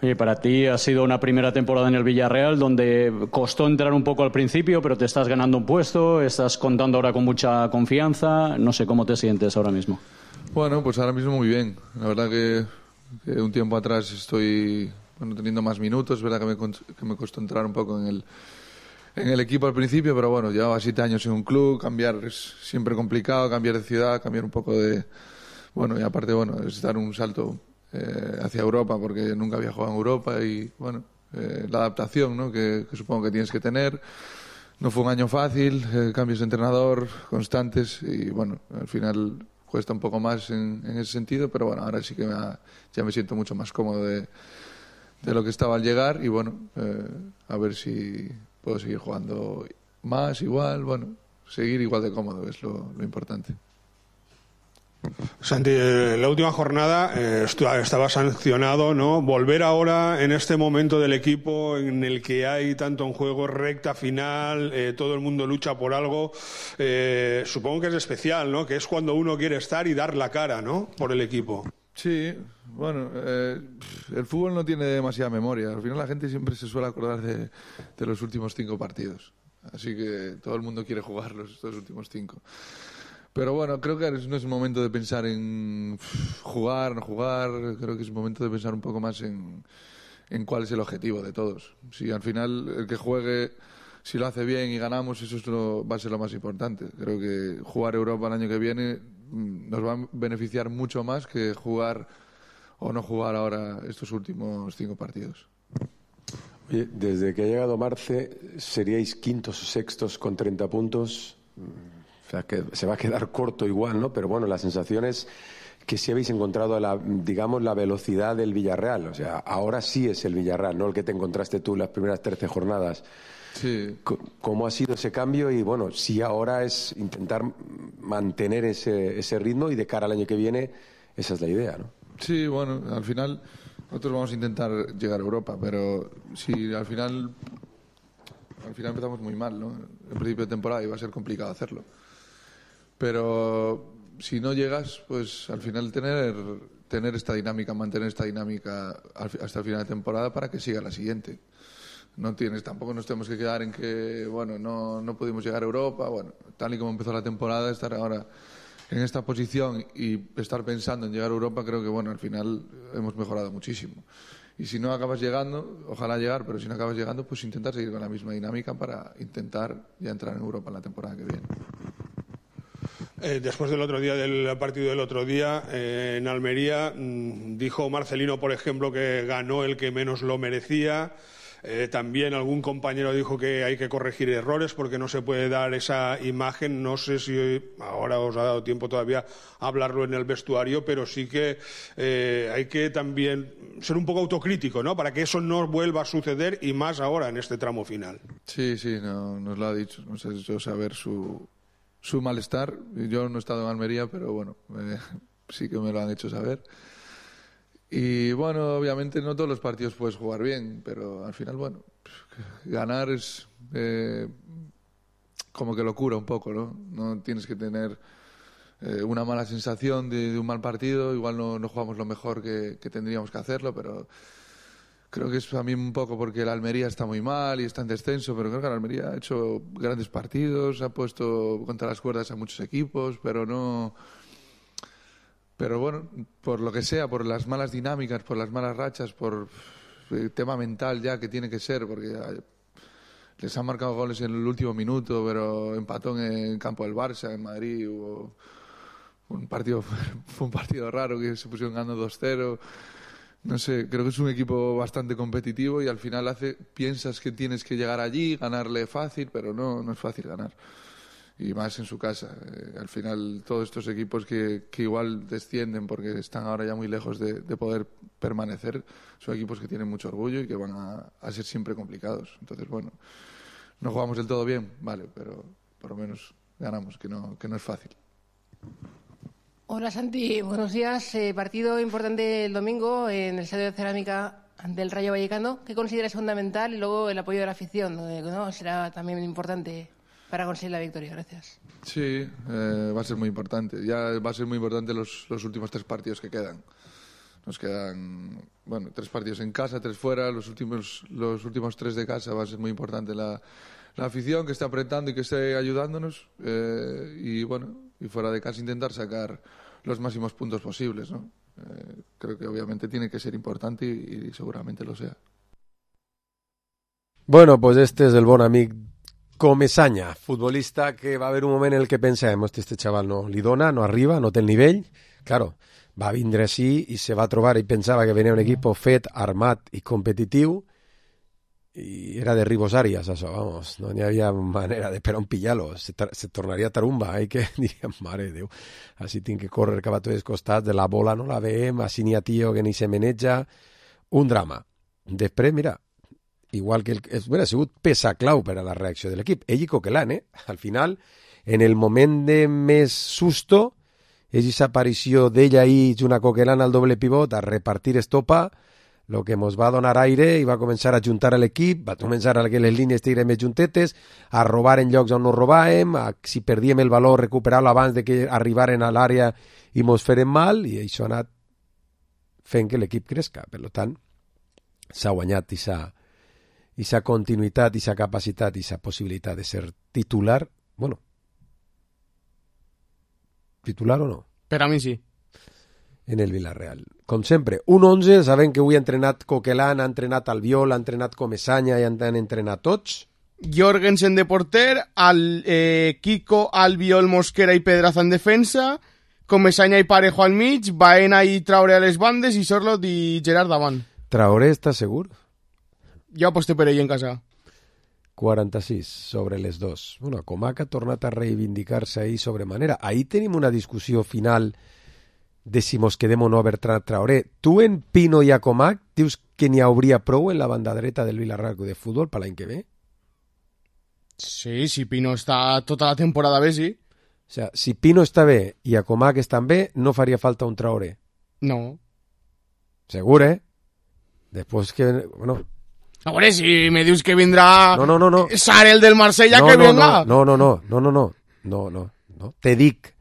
Oye, para ti ha sido una primera temporada en el Villarreal donde costó entrar un poco al principio, pero te estás ganando un puesto, estás contando ahora con mucha confianza. No sé cómo te sientes ahora mismo. Bueno, pues ahora mismo muy bien. La verdad que, que un tiempo atrás estoy bueno, teniendo más minutos. Es verdad que me, que me costó entrar un poco en el, en el equipo al principio, pero bueno, llevaba siete años en un club. Cambiar es siempre complicado, cambiar de ciudad, cambiar un poco de... Bueno, y aparte, bueno, es dar un salto... Eh, hacia Europa, porque nunca había jugado en Europa y bueno, eh, la adaptación, ¿no? que, que supongo que tienes que tener. No fue un año fácil, eh, cambios de entrenador constantes y bueno, al final cuesta un poco más en, en ese sentido, pero bueno, ahora sí que me ha, ya me siento mucho más cómodo de, de lo que estaba al llegar y bueno, eh, a ver si puedo seguir jugando más, igual, bueno, seguir igual de cómodo es lo, lo importante. Santi, en la última jornada eh, estaba sancionado, ¿no? Volver ahora en este momento del equipo en el que hay tanto en juego, recta final, eh, todo el mundo lucha por algo, eh, supongo que es especial, ¿no? Que es cuando uno quiere estar y dar la cara, ¿no? Por el equipo. Sí, bueno, eh, el fútbol no tiene demasiada memoria. Al final la gente siempre se suele acordar de, de los últimos cinco partidos. Así que todo el mundo quiere jugar los, estos últimos cinco. Pero bueno, creo que no es un momento de pensar en jugar, no jugar. Creo que es un momento de pensar un poco más en, en cuál es el objetivo de todos. Si al final el que juegue, si lo hace bien y ganamos, eso es lo, va a ser lo más importante. Creo que jugar Europa el año que viene nos va a beneficiar mucho más que jugar o no jugar ahora estos últimos cinco partidos. Oye, desde que ha llegado Marce, seríais quintos o sextos con treinta puntos. O sea, que se va a quedar corto igual, ¿no? Pero bueno, la sensación es que sí habéis encontrado, la, digamos, la velocidad del Villarreal. O sea, ahora sí es el Villarreal, no el que te encontraste tú las primeras trece jornadas. Sí. ¿Cómo ha sido ese cambio? Y bueno, sí ahora es intentar mantener ese, ese ritmo y de cara al año que viene, esa es la idea, ¿no? Sí, bueno, al final nosotros vamos a intentar llegar a Europa, pero si al final, al final empezamos muy mal, ¿no? En principio de temporada iba a ser complicado hacerlo. Pero si no llegas, pues al final tener tener esta dinámica, mantener esta dinámica hasta el final de temporada para que siga la siguiente. No tienes, tampoco nos tenemos que quedar en que, bueno, no, no pudimos llegar a Europa, bueno, tal y como empezó la temporada, estar ahora en esta posición y estar pensando en llegar a Europa, creo que, bueno, al final hemos mejorado muchísimo. Y si no acabas llegando, ojalá llegar, pero si no acabas llegando, pues intentar seguir con la misma dinámica para intentar ya entrar en Europa en la temporada que viene. Eh, después del otro día, del partido del otro día, eh, en Almería, mmm, dijo Marcelino, por ejemplo, que ganó el que menos lo merecía. Eh, también algún compañero dijo que hay que corregir errores porque no se puede dar esa imagen. No sé si ahora os ha dado tiempo todavía a hablarlo en el vestuario, pero sí que eh, hay que también ser un poco autocrítico, ¿no? Para que eso no vuelva a suceder y más ahora en este tramo final. Sí, sí, no, nos lo ha dicho. Nos ha hecho saber su, su malestar. Yo no he estado en Almería, pero bueno, eh, sí que me lo han hecho saber. Y bueno, obviamente no todos los partidos puedes jugar bien, pero al final, bueno, ganar es eh, como que locura un poco, ¿no? No tienes que tener eh, una mala sensación de, de un mal partido, igual no, no jugamos lo mejor que, que tendríamos que hacerlo, pero creo que es a mí un poco porque la Almería está muy mal y está en descenso, pero creo que la Almería ha hecho grandes partidos, ha puesto contra las cuerdas a muchos equipos, pero no... Pero bueno, por lo que sea, por las malas dinámicas, por las malas rachas, por el tema mental ya que tiene que ser, porque les han marcado goles en el último minuto, pero empató en el campo del Barça, en Madrid, hubo un partido, fue un partido raro que se pusieron ganando dos cero. No sé, creo que es un equipo bastante competitivo y al final hace, piensas que tienes que llegar allí, ganarle fácil, pero no, no es fácil ganar. Y más en su casa. Eh, al final, todos estos equipos que, que igual descienden porque están ahora ya muy lejos de, de poder permanecer, son equipos que tienen mucho orgullo y que van a, a ser siempre complicados. Entonces, bueno, no jugamos del todo bien, vale, pero por lo menos ganamos, que no, que no es fácil. Hola Santi, buenos días. Eh, partido importante el domingo en el Estadio de Cerámica ante el Rayo Vallecano. ¿Qué consideras fundamental? Y luego el apoyo de la afición, ¿no? Será también importante para conseguir la victoria. Gracias. Sí, eh, va a ser muy importante. Ya va a ser muy importante los, los últimos tres partidos que quedan. Nos quedan, bueno, tres partidos en casa, tres fuera. Los últimos, los últimos tres de casa va a ser muy importante la, la afición que esté apretando y que esté ayudándonos. Eh, y bueno, y fuera de casa intentar sacar los máximos puntos posibles, ¿no? Eh, creo que obviamente tiene que ser importante y, y seguramente lo sea. Bueno, pues este és el bon amic Comesaña, futbolista que va haver un moment en el que pensem, hosti, este xaval no li dona, no arriba, no té el nivell. Claro, va vindre així i se va trobar i pensava que venia un equip fet, armat i competitiu i era de Ribos Arias, això, vamos, no n'hi havia manera de per on pillar-lo, se, se tornaria tarumba, eh, que diríem, mare de Déu, així tinc que córrer cap a tots els costats, de la bola no la veiem, així n'hi ha tio que ni se meneja, un drama. Després, mira, igual que el, hubiera sigut peça clau per a la reacció de l'equip. Ell i Coquelin, eh? Al final, en el moment de més susto, és aquesta aparició d'ell ahí, junt a Coquelin al doble pivot, a repartir estopa, el que ens va donar aire i va començar a juntar a l'equip, va començar a que les línies estiguin més juntetes, a robar en llocs on no robàvem, a, si perdíem el valor, recuperar-lo abans de que arribaren a l'àrea i mos feren mal, i això ha anat fent que l'equip cresca. Per tant, s'ha guanyat i s'ha i esa continuïtat, i esa capacitat, i esa possibilitat de ser titular, bueno, titular o no? Per a mi sí. En el Villarreal. Com sempre, un onze, sabem que avui ha entrenat Coquelin, ha entrenat Albiol, ha entrenat Comesaña i han entrenat tots. Jorgensen de porter, al, eh, Kiko, Albiol, Mosquera i Pedraza en defensa, Comesaña i Parejo al mig, Baena i Traoré a les bandes i Sorlot i Gerard davant. Traoré està segur? Jo aposté per ell en casa. quaranta-sis sobre les dos. Bueno, Comac ha tornat a reivindicar-se ahí sobremanera. Ahí tenim una discussió final de si mos quedem o no a Bertran Traoré. Tu en Pino i a Comac dius que n'hi hauria prou en la banda dreta del Villarreal de futbol per l'any que ve? Sí, si Pino està tota la temporada bé, sí. O sea, si Pino està bé i a Comac estan bé, no faria falta un Traoré. No. Segur, eh? Després que... Bueno... A veure, si me dius que vindrà no, no, no, no. Sarel del Marsella, no, que no, venga. No, no, no, no, no, no, no, no, no. Te dic,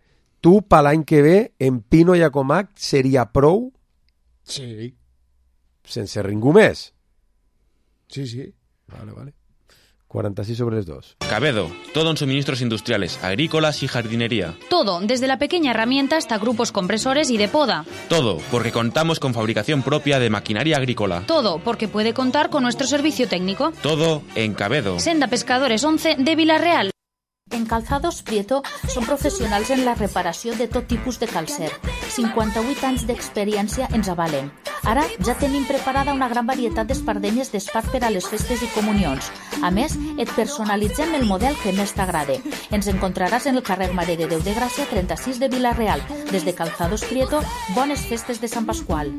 tu per l'any que ve, en Pino i a Comac seria prou Sí. Sense ningú més? Sí, sí. Vale, vale. cuarenta y seis sobre les dos. Cabedo, todo en suministros industriales, agrícolas y jardinería. Todo, desde la pequeña herramienta hasta grupos compresores y de poda. Todo, porque contamos con fabricación propia de maquinaria agrícola. Todo, porque puede contar con nuestro servicio técnico. Todo en Cabedo. Senda Pescadores once de Vila-real. En Calzados Prieto són professionals en la reparació de tot tipus de calcer. cinquanta-vuit anys d'experiència ens avalen. Ara ja tenim preparada una gran varietat d'espardenyes d'espart per a les festes i comunions. A més, et personalitzem el model que més t'agrade. Ens encontraràs en el carrer Mare de Déu de Gràcia treinta-sis de Vila-real. Des de Calzados Prieto, bones festes de Sant Pascual.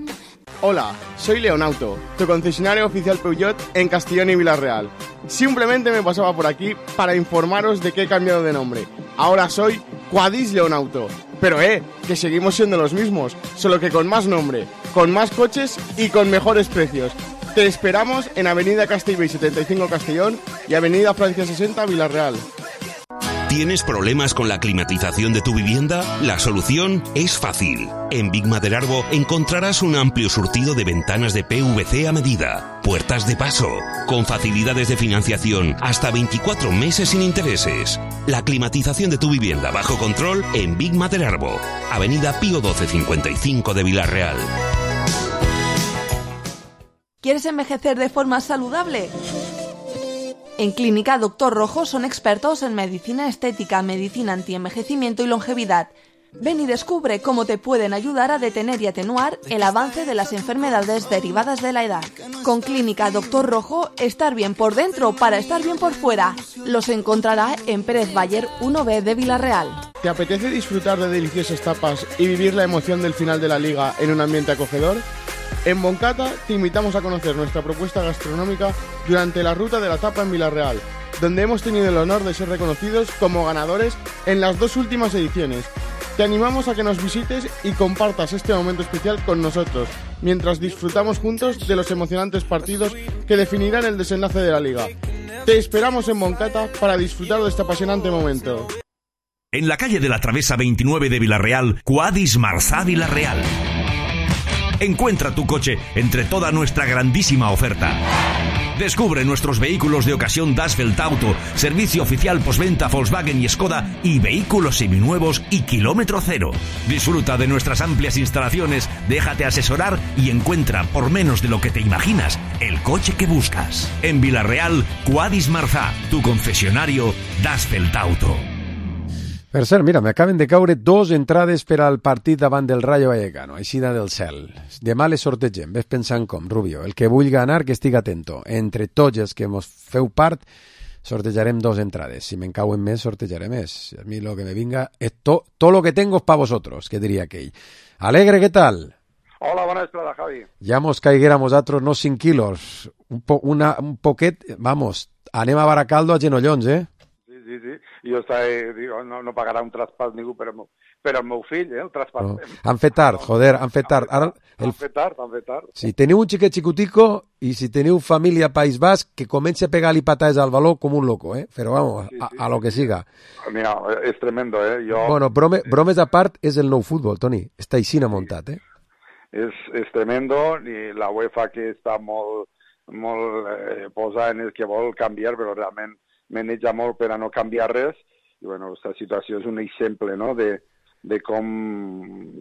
Hola, soy Leonauto, tu concesionario oficial Peugeot en Castellón y Vila-real. Simplemente me pasaba por aquí para informaros de que he cambiado de nombre. Ahora soy Quadis Leonauto. Pero eh, que seguimos siendo los mismos, solo que con más nombre, con más coches y con mejores precios. Te esperamos en Avenida Castellbell setenta y cinco Castellón y Avenida Francia sesenta Vila-real. ¿Tienes problemas con la climatización de tu vivienda? La solución es fácil. En Big Maderarbo encontrarás un amplio surtido de ventanas de P V C a medida, puertas de paso, con facilidades de financiación hasta veinticuatro meses sin intereses. La climatización de tu vivienda bajo control en Big Maderarbo, Avenida Pío doce cincuenta y cinco de Vila-real. ¿Quieres envejecer de forma saludable? En Clínica Doctor Rojo son expertos en medicina estética, medicina antienvejecimiento y longevidad. Ven y descubre cómo te pueden ayudar a detener y atenuar el avance de las enfermedades derivadas de la edad. Con Clínica Doctor Rojo, estar bien por dentro para estar bien por fuera. Los encontrará en Pérez Bayer uno B de Vila-real. ¿Te apetece disfrutar de deliciosas tapas y vivir la emoción del final de la liga en un ambiente acogedor? En Moncata te invitamos a conocer nuestra propuesta gastronómica durante la Ruta de la Tapa en Vila-real, donde hemos tenido el honor de ser reconocidos como ganadores en las dos últimas ediciones. Te animamos a que nos visites y compartas este momento especial con nosotros, mientras disfrutamos juntos de los emocionantes partidos que definirán el desenlace de la liga. Te esperamos en Moncata para disfrutar de este apasionante momento. En la calle de la Travesa veintinueve de Vila-real, Quadis Marzá Vila-real. Encuentra tu coche entre toda nuestra grandísima oferta. Descubre nuestros vehículos de ocasión Dasvelt Auto, servicio oficial postventa Volkswagen y Skoda y vehículos seminuevos y kilómetro cero. Disfruta de nuestras amplias instalaciones, déjate asesorar y encuentra por menos de lo que te imaginas el coche que buscas. En Vila-real, Quadis Marzá, tu concesionario Dasvelt Auto. Per cert, mira, m'acaben de caure dos entrades per al partit davant del Rayo Vallecano, aixina del cel. Demà les sortegem, ves pensant com, Rubio. El que vulgui anar, que estigui atento. Entre tots els que mos feu part, sortejarem dos entrades. Si me'n cauen més, sortejaré més. A mi lo que me vinga es to, todo lo que tengo es pa vosotros, que diria aquell. Alegre, ¿qué tal? Hola, bona vesprada, Javi. Ja mos caiguéramos atros no cinc quilos. Un, po, una, un poquet, vamos, anem a Baracaldo a genollons, eh? Sí, sí, i jo estava, digo, no, no pagarà un traspàs ningú per al meu, per al meu fill, eh, el traspàs. No. Han fet tard, joder, han fet tard. Ara, el... Han fet tard, han fet tard. Si teniu un xiquet xicutico i si teniu família País Basc, que comenci a pegar-li patades al baló com un loco, eh? Però vamos, sí, sí, a, a lo que siga. Mira, és tremendo, eh? Jo... Bueno, brome, bromes a part, és el nou futbol, Toni. Està aixina muntat, eh? És, és tremendo, i la UEFA que està molt, molt eh, posada en el que vol canviar, però realment maneja molt per a no canviar res. I bueno, aquesta situació és un exemple, no?, de, de com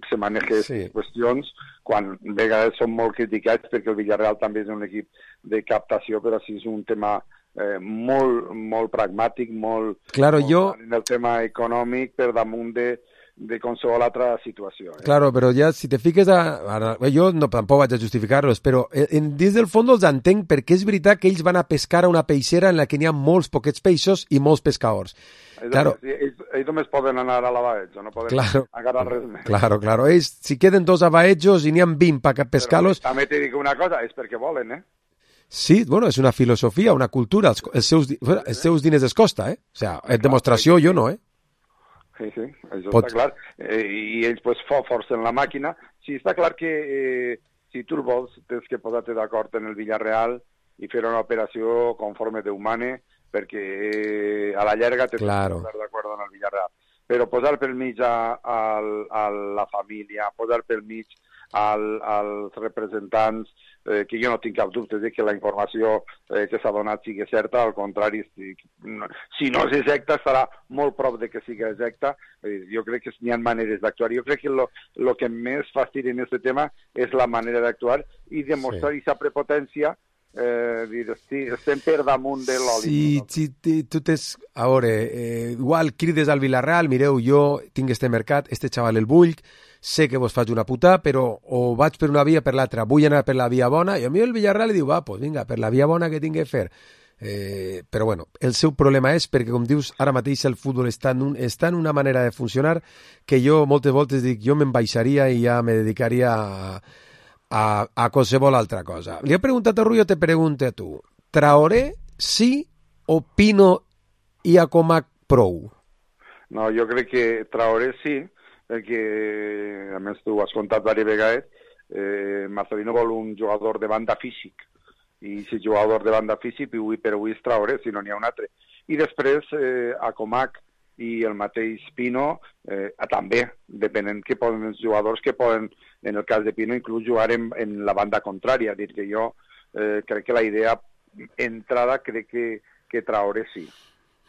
se maneja sí. qüestions, quan a vegades són molt criticats perquè el Villarreal també és un equip de captació, però sí és un tema eh, molt, molt pragmàtic, molt, claro, molt jo... en el tema econòmic per damunt de, de qualsevol altra situació. Eh? Claro, però ja si te fiques a... Ara, jo no, tampoc vaig a justificar-los, però en, dins del fons els entenc perquè és veritat que ells van a pescar a una peixera en la que n'hi ha molts poquets peixos i molts pescadors. Ells, claro. ells, ells només poden anar a la Baetjo, no poden claro. agarrar res més. Claro, claro. Ells, si queden dos a Baetjos i n'hi ha vint per pescar-los... També t'he dit una cosa, és perquè volen, eh? Sí, bueno, és una filosofia, una cultura. Els, els, seus, els seus diners es costa, eh? O sea, és demostració, jo no, eh? Sí, sí, això Pot... està clar. Eh, I ells pues, forcen la màquina. Sí, està clar que eh, si tu vols, tens que posar-te d'acord en el Villarreal i fer una operació conforme Déu mane, perquè eh, a la llarga tens claro. que posar d'acord en el Villarreal. Però posar pel mig a, a, a la família, posar pel mig al, als representants, eh, que jo no tinc cap dubte de que la informació eh, que s'ha donat sigui certa, al contrari, si, si no és exacta, estarà molt prop de que sigui exacta. Eh, jo crec que n'hi ha maneres d'actuar. Jo crec que el que més fastidi en aquest tema és la manera d'actuar i demostrar aquesta sí. prepotència, eh, dir, sí, estem per damunt de l'oli. Sí, no? Sí, tu tens... A veure, eh, igual crides al Villarreal, mireu, jo tinc este mercat, este xaval el vull, sé que vos faig una puta, però o vaig per una via per l'altra, vull anar per la via bona, i a mi el Villarreal li diu, va, pues vinga, per la via bona que tinc que fer. Eh, però bueno, el seu problema és perquè, com dius, ara mateix el futbol està en, un, està en una manera de funcionar que jo moltes voltes dic, jo me'n baixaria i ja me dedicaria a, a, a qualsevol altra cosa. Li he preguntat a Rui, jo te pregunto a tu. Traoré sí o Pino i Acomac prou? No, jo crec que Traoré sí, perquè, a més, tu ho has contat diverses vegades, eh, Marcelino vol un jugador de banda físic, i si jugador de banda físic, avui per avui és Traoré, si no n'hi ha un altre. I després, eh, Acomac i el mateix Pino, eh, també, depenent que poden els jugadors que poden, en el cas de Pino, inclús jugar en, en la banda contrària, dir que jo eh, crec que la idea entrada crec que, que Traoré sí.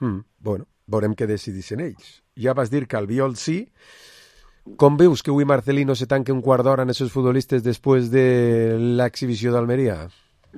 Mm, bueno, veurem què decidissin ells. Ja vas dir que Albiol sí. Com veus que avui Marcelino se tanque un quart d'hora en aquests futbolistes després de l'exhibició d'Almeria?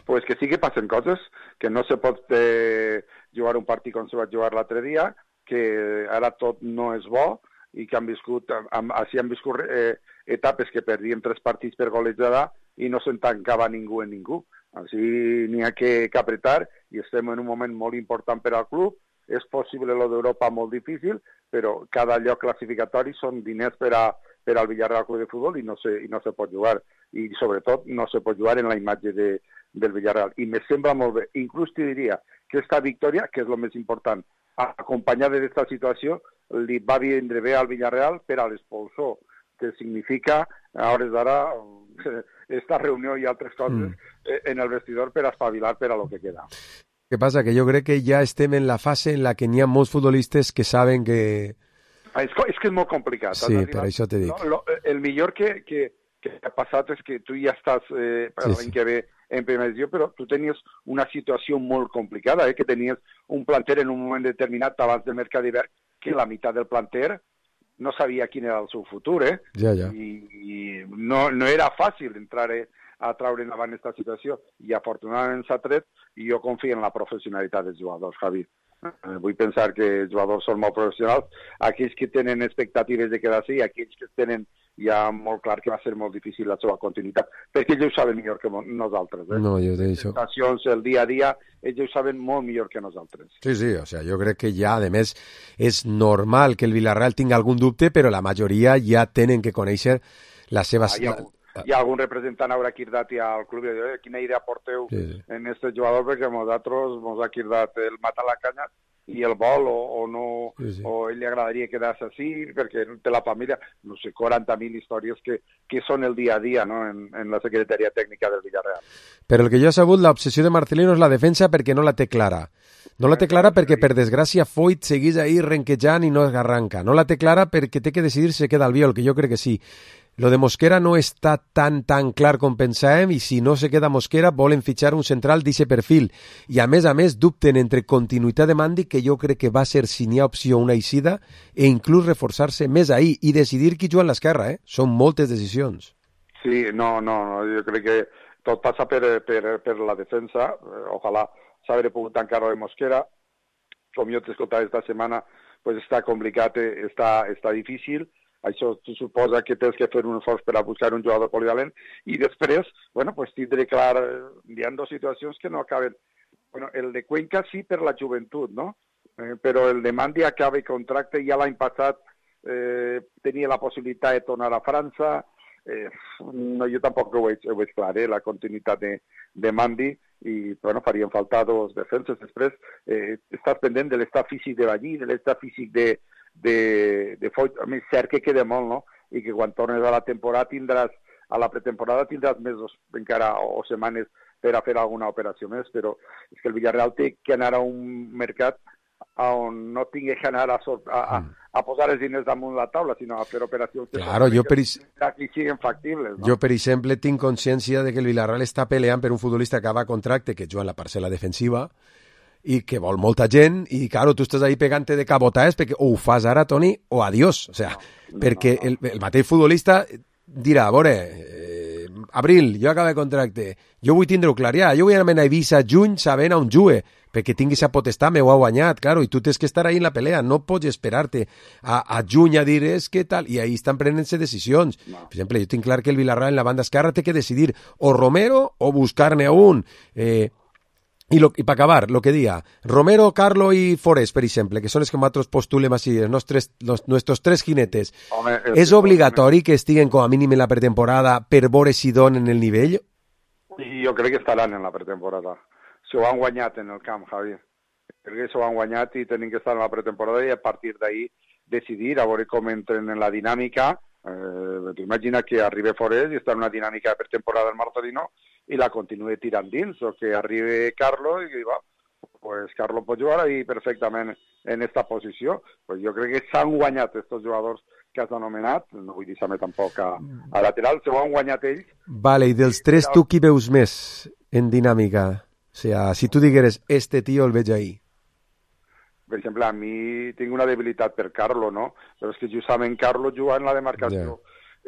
Pues que sí que passen coses, que no se pot eh, jugar un partit com se va jugar l'altre dia, que ara tot no és bo i que han viscut, amb, així han viscut eh, etapes que perdien tres partits per golejada i no se'n tancava ningú en ningú. Així n'hi ha que, que apretar i estem en un moment molt important per al club. És possible lo d'Europa molt difícil, però cada lloc classificatori són diners per, a, per al Villarreal Club de Futbol i no, se, i no se pot jugar. I sobretot no se pot jugar en la imatge de, del Villarreal. I me sembla molt bé. Inclús te diria que aquesta victòria, que és el més important, acompanyada d'aquesta situació, li va vindre bé al Villarreal per a l'expulsó, que significa, a hores d'ara, esta reunió i altres coses mm. en el vestidor per espavilar per a lo que queda. Què passa? Que jo crec que ja estem en la fase en la que n'hi ha molts futbolistes que saben que... Ah, és, és que és molt complicat. Sí, per això t'he dit. No, lo, el millor que, que, que ha passat és que tu ja estàs eh, per l'any sí, sí. que ve en primera divisió, però tu tenies una situació molt complicada, eh, que tenies un planter en un moment determinat abans del mercat d'hivern que la meitat del planter no sabia quin era el seu futur, eh? Ja, ja. I, i no, no era fàcil entrar eh, a traure endavant aquesta situació i afortunadament s'ha tret i jo confio en la professionalitat dels jugadors, Javi. Eh, vull pensar que els jugadors són molt professionals, aquells que tenen expectatives de quedar-se i aquells que tenen ja molt clar que va ser molt difícil la seva continuïtat, perquè ells ho saben millor que nosaltres. Eh? No, jo t'he dit això. Les estacions, el dia a dia, ells ho saben molt millor que nosaltres. Sí, sí, o sea, jo crec que ja, a més, és normal que el Villarreal tingui algun dubte, però la majoria ja tenen que conèixer la seva... Ah, hi, ha algun, hi ha algun representant haurà cridat al club i dir, quina idea porteu sí, sí. en este jugador, perquè nosaltres ens ha cridat el matar la canya i el vol, o, o no, sí, sí. o ell li agradaria quedar-se així, perquè té la família, no sé, quaranta mil històries que, que són el dia a dia, no?, en, en la secretaria tècnica del Villarreal. Però el que jo he sabut, l'obsessió de Marcelino és la defensa perquè no la té clara. No la té clara perquè, per desgràcia, Foyt seguís ahí renquejant i no arranca. No la té clara perquè té que decidir si queda Albiol, que jo crec que sí. Lo de Mosquera no està tan, tan clar com pensàvem i si no se queda Mosquera volen fitxar un central d'aquest perfil. I a més a més dubten entre continuïtat de Mandi, que jo crec que va ser, si n'hi ha opció, una eixida, e inclús reforçar-se més ahí i decidir qui juga a l'esquerra. Eh? Són moltes decisions. Sí, no, no, no, jo crec que tot passa per, per, per la defensa. Ojalà s'haver pogut tancar de Mosquera. Com jo t'he escoltat esta setmana, pues està complicat, està, està difícil. Això suposa que tens que fer un esforç per a buscar un jugador polivalent i després, bueno, pues tindré clar, hi ha dues situacions que no acaben. Bueno, el de Cuenca sí per la joventut, no? Eh, però el de Mandi acaba el contracte, ja l'any passat eh, tenia la possibilitat de tornar a França, eh, no, jo tampoc ho veig, ho veig clar, eh, la continuïtat de, de Mandi, i bueno, farien falta dos defenses. Després eh, estàs pendent de l'estat físic de Ballí, de l'estat físic de de, de Foyt. A mi és cert que queda molt, no? I que quan tornes a la temporada tindràs, a la pretemporada tindràs mesos encara o setmanes per a fer alguna operació més, però és que el Villarreal té que anar a un mercat on no tingui que anar a, a, a, a posar els diners damunt la taula, sinó a fer operacions claro, jo per, que siguin factibles. No? Jo, per exemple, tinc consciència de que el Villarreal està peleant per un futbolista que va a contracte, que juga en la parcel·la defensiva, i que vol molta gent, i, claro, tu estàs ahí pegant-te de cabotaes, perquè o ho fas ara, Toni, o adiós. O sea, no, no, perquè no, no. El, el mateix futbolista dirà, a veure, eh, Abril, jo acabo de contracte, jo vull tindre-ho clar ja, jo vull anar a Eivissa juny sabent on jugue, perquè tingui esa potestat, m'ho ha guanyat, claro, i tu tens que estar ahí en la pelea, no pots esperar-te a, a juny a dir, és que tal, i ahí estan prenent-se decisions. No. Per exemple, jo tinc clar que el Villarreal en la banda esquerra té que decidir o Romero o buscar-ne a un. Eh, I, lo, i per acabar, el que dia, Romero, Carlo i Forés, per exemple, que són els que nosaltres postulem així, els nostres, los, nuestros tres jinetes, Home, és, és obligatori que estiguen com a mínim en la pretemporada per veure si donen el nivell? I jo crec que estaran en la pretemporada. S'ho han guanyat en el camp, Javi. Crec que s'ho han guanyat i tenen que estar en la pretemporada i a partir d'ahí decidir, a veure com entren en la dinàmica. Eh, Imagina que arribi Forés i està en una dinàmica de pretemporada el Marcelino i la continue tirant dins, o que arribi Carlo i va, pues Carlo pot jugar ahí perfectament en esta posició. Pues jo crec que s'han guanyat estos jugadors que has anomenat, no vull dir-me tampoc a, a lateral, s'ho han guanyat ells. Vale, i dels tres tu qui veus més en dinàmica? O sea, si tu digueres, este tío el veig ahí. Per exemple, a mi tinc una debilitat per Carlo, no? Però és que justament Carlo juga en la demarcació yeah.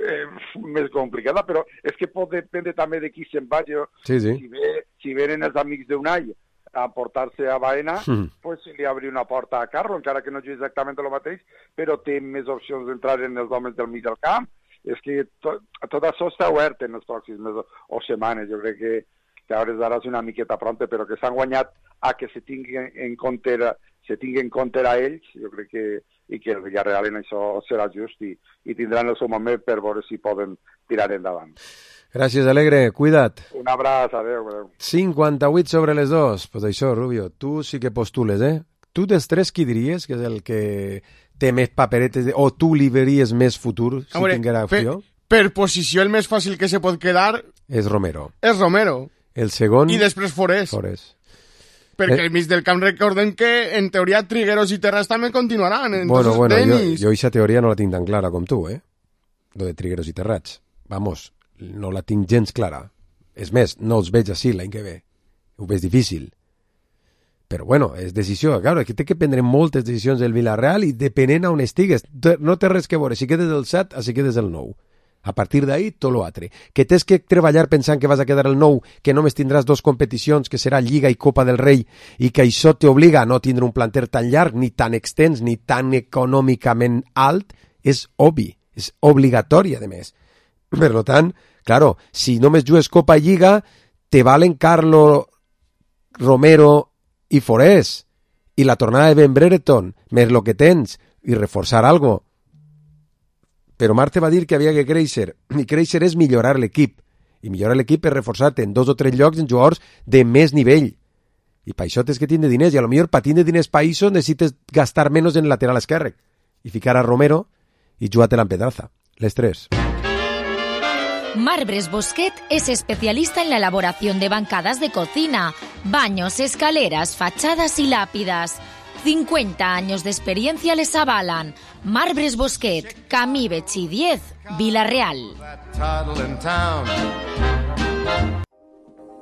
eh, més complicada, però és que pot dependre també de qui se'n vagi. Sí, sí. Si, ve, si venen els amics d'Unai a portar-se a Baena, mm. pues li obri una porta a Carlo, encara que no jugui exactament el mateix, però té més opcions d'entrar en els homes del mig del camp. És que tot, tot això està obert en els pròxims mesos o setmanes. Jo crec que, que ara és una miqueta pronta, però que s'han guanyat a que se tingui en compte se tingui en compte a ells, jo crec que i que el Villarreal en això serà just i, i tindran el seu moment per veure si poden tirar endavant. Gràcies, Alegre. Cuida't. Un abraç, adeu, adeu. cinquanta-vuit sobre les dos. Pues això, Rubio, tu sí que postules, eh? Tu dels tres qui diries que és el que té més paperetes de... o tu li veries més futur si veure, tinguera opció? Per, per posició el més fàcil que se pot quedar... És Romero. És Romero. El segon... I després Forés. Forés. Perquè eh? al mig del camp recordem que en teoria Trigueros i Terrats també continuaran. Bueno, bueno, Denis... jo, jo aquesta teoria no la tinc tan clara com tu, eh? Lo de Trigueros i Terrats. Vamos, no la tinc gens clara. És més, no els veig així l'any que ve. Ho veig difícil. Però bueno, és decisió. Claro, que té que prendre moltes decisions del Villarreal i depenent on estigues. No té res que veure si quedes el set o si quedes el nou. A partir d'ahí, tot l'altre. Que tens que treballar pensant que vas a quedar el nou, que només tindràs dos competicions, que serà Lliga i Copa del Rei, i que això t'obliga a no tindre un planter tan llarg, ni tan extens, ni tan econòmicament alt, és obvi, és obligatori, a més. Per tant, claro, si només jugues Copa i Lliga, te valen Carlo, Romero i Forés, i la tornada de Ben Brereton, més lo que tens, i reforçar algo. Però Marte va dir que havia que créixer, i créixer és millorar l'equip, i millorar l'equip és reforçar-te en dos o tres llocs en jugadors de més nivell. I per això tens que tindre diners, i a lo millor per tindre diners per això necessites gastar menys en lateral esquerre, i ficar a Romero i jugar-te-la en pedraza. Les tres. Marbres Bosquet es especialista en la elaboración de bancadas de cocina, baños, escaleras, fachadas y lápidas. cincuenta años de experiencia les avalan. Marbres Bosquet, Camí Betxí diez, Vila-real.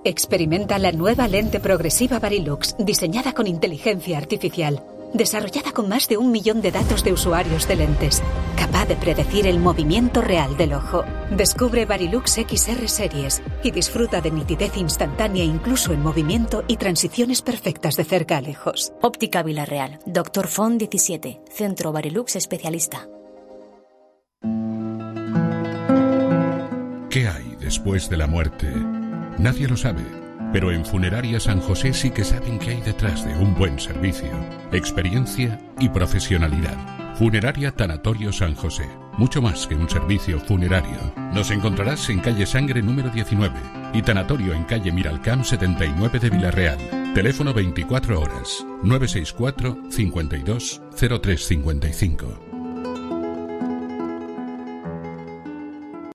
Experimenta la nueva lente progresiva Varilux, diseñada con inteligencia artificial, desarrollada con más de un millón de datos de usuarios de lentes, capaz de predecir el movimiento real del ojo. Descubre Varilux X R Series y disfruta de nitidez instantánea incluso en movimiento y transiciones perfectas de cerca a lejos. Óptica Vila-real, Doctor Font diecisiete, Centro Varilux Especialista. ¿Qué hay después de la muerte? Nadie lo sabe. Pero en Funeraria San José sí que saben qué hay detrás de un buen servicio, experiencia y profesionalidad. Funeraria Tanatorio San José. Mucho más que un servicio funerario. Nos encontrarás en calle Sangre número diecinueve y Tanatorio en calle Miralcamp setenta y nueve de Vila-real. Teléfono veinticuatro horas, nueve seis cuatro, cincuenta y dos, cero tres cincuenta y cinco.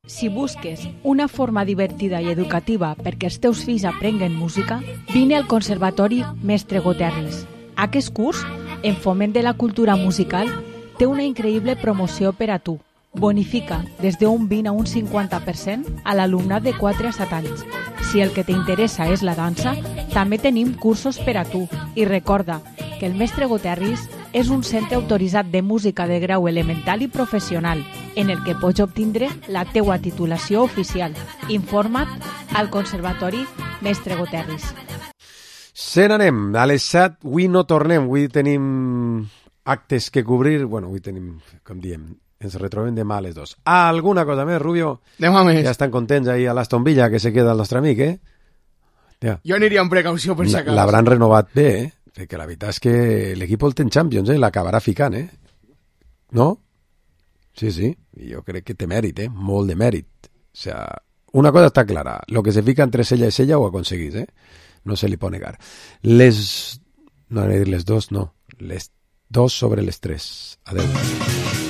Si busques una forma divertida i educativa perquè els teus fills aprenguen música, vine al Conservatori Mestre Goterris. Aquest curs, en foment de la cultura musical, té una increïble promoció per a tu. Bonifica des d'un vint a un cinquanta per cent a l'alumnat de quatre a set anys. Si el que t'interessa és la dansa, també tenim cursos per a tu. I recorda que el Mestre Goterris és un centre autoritzat de música de grau elemental i professional, en el que pots obtindre la teua titulació oficial. Informa't al Conservatori Mestre Goterris. Se n'anem. A les set, avui no tornem. Avui tenim actes que cobrir. Bueno, avui tenim, com diem, ens retrobem demà a les dos. Alguna cosa més, Rubio? Demà més. Ja estan contents ahí a l'Aston Villa, que se queda el nostre amic, eh? Ja. Jo aniria amb precaució per si acabes. L'hauran renovat bé, eh? Perquè la veritat és que l'equip el té en Champions, eh? L'acabarà ficant, eh? No? Sí, sí. I jo crec que té mèrit, eh? Molt de mèrit. O sea, una cosa està clara. Lo que se fica entre sella i sella ho aconseguís, eh? No se li pot negar. Les... No, no dir les dos, no. Les dos sobre les tres. Adeu.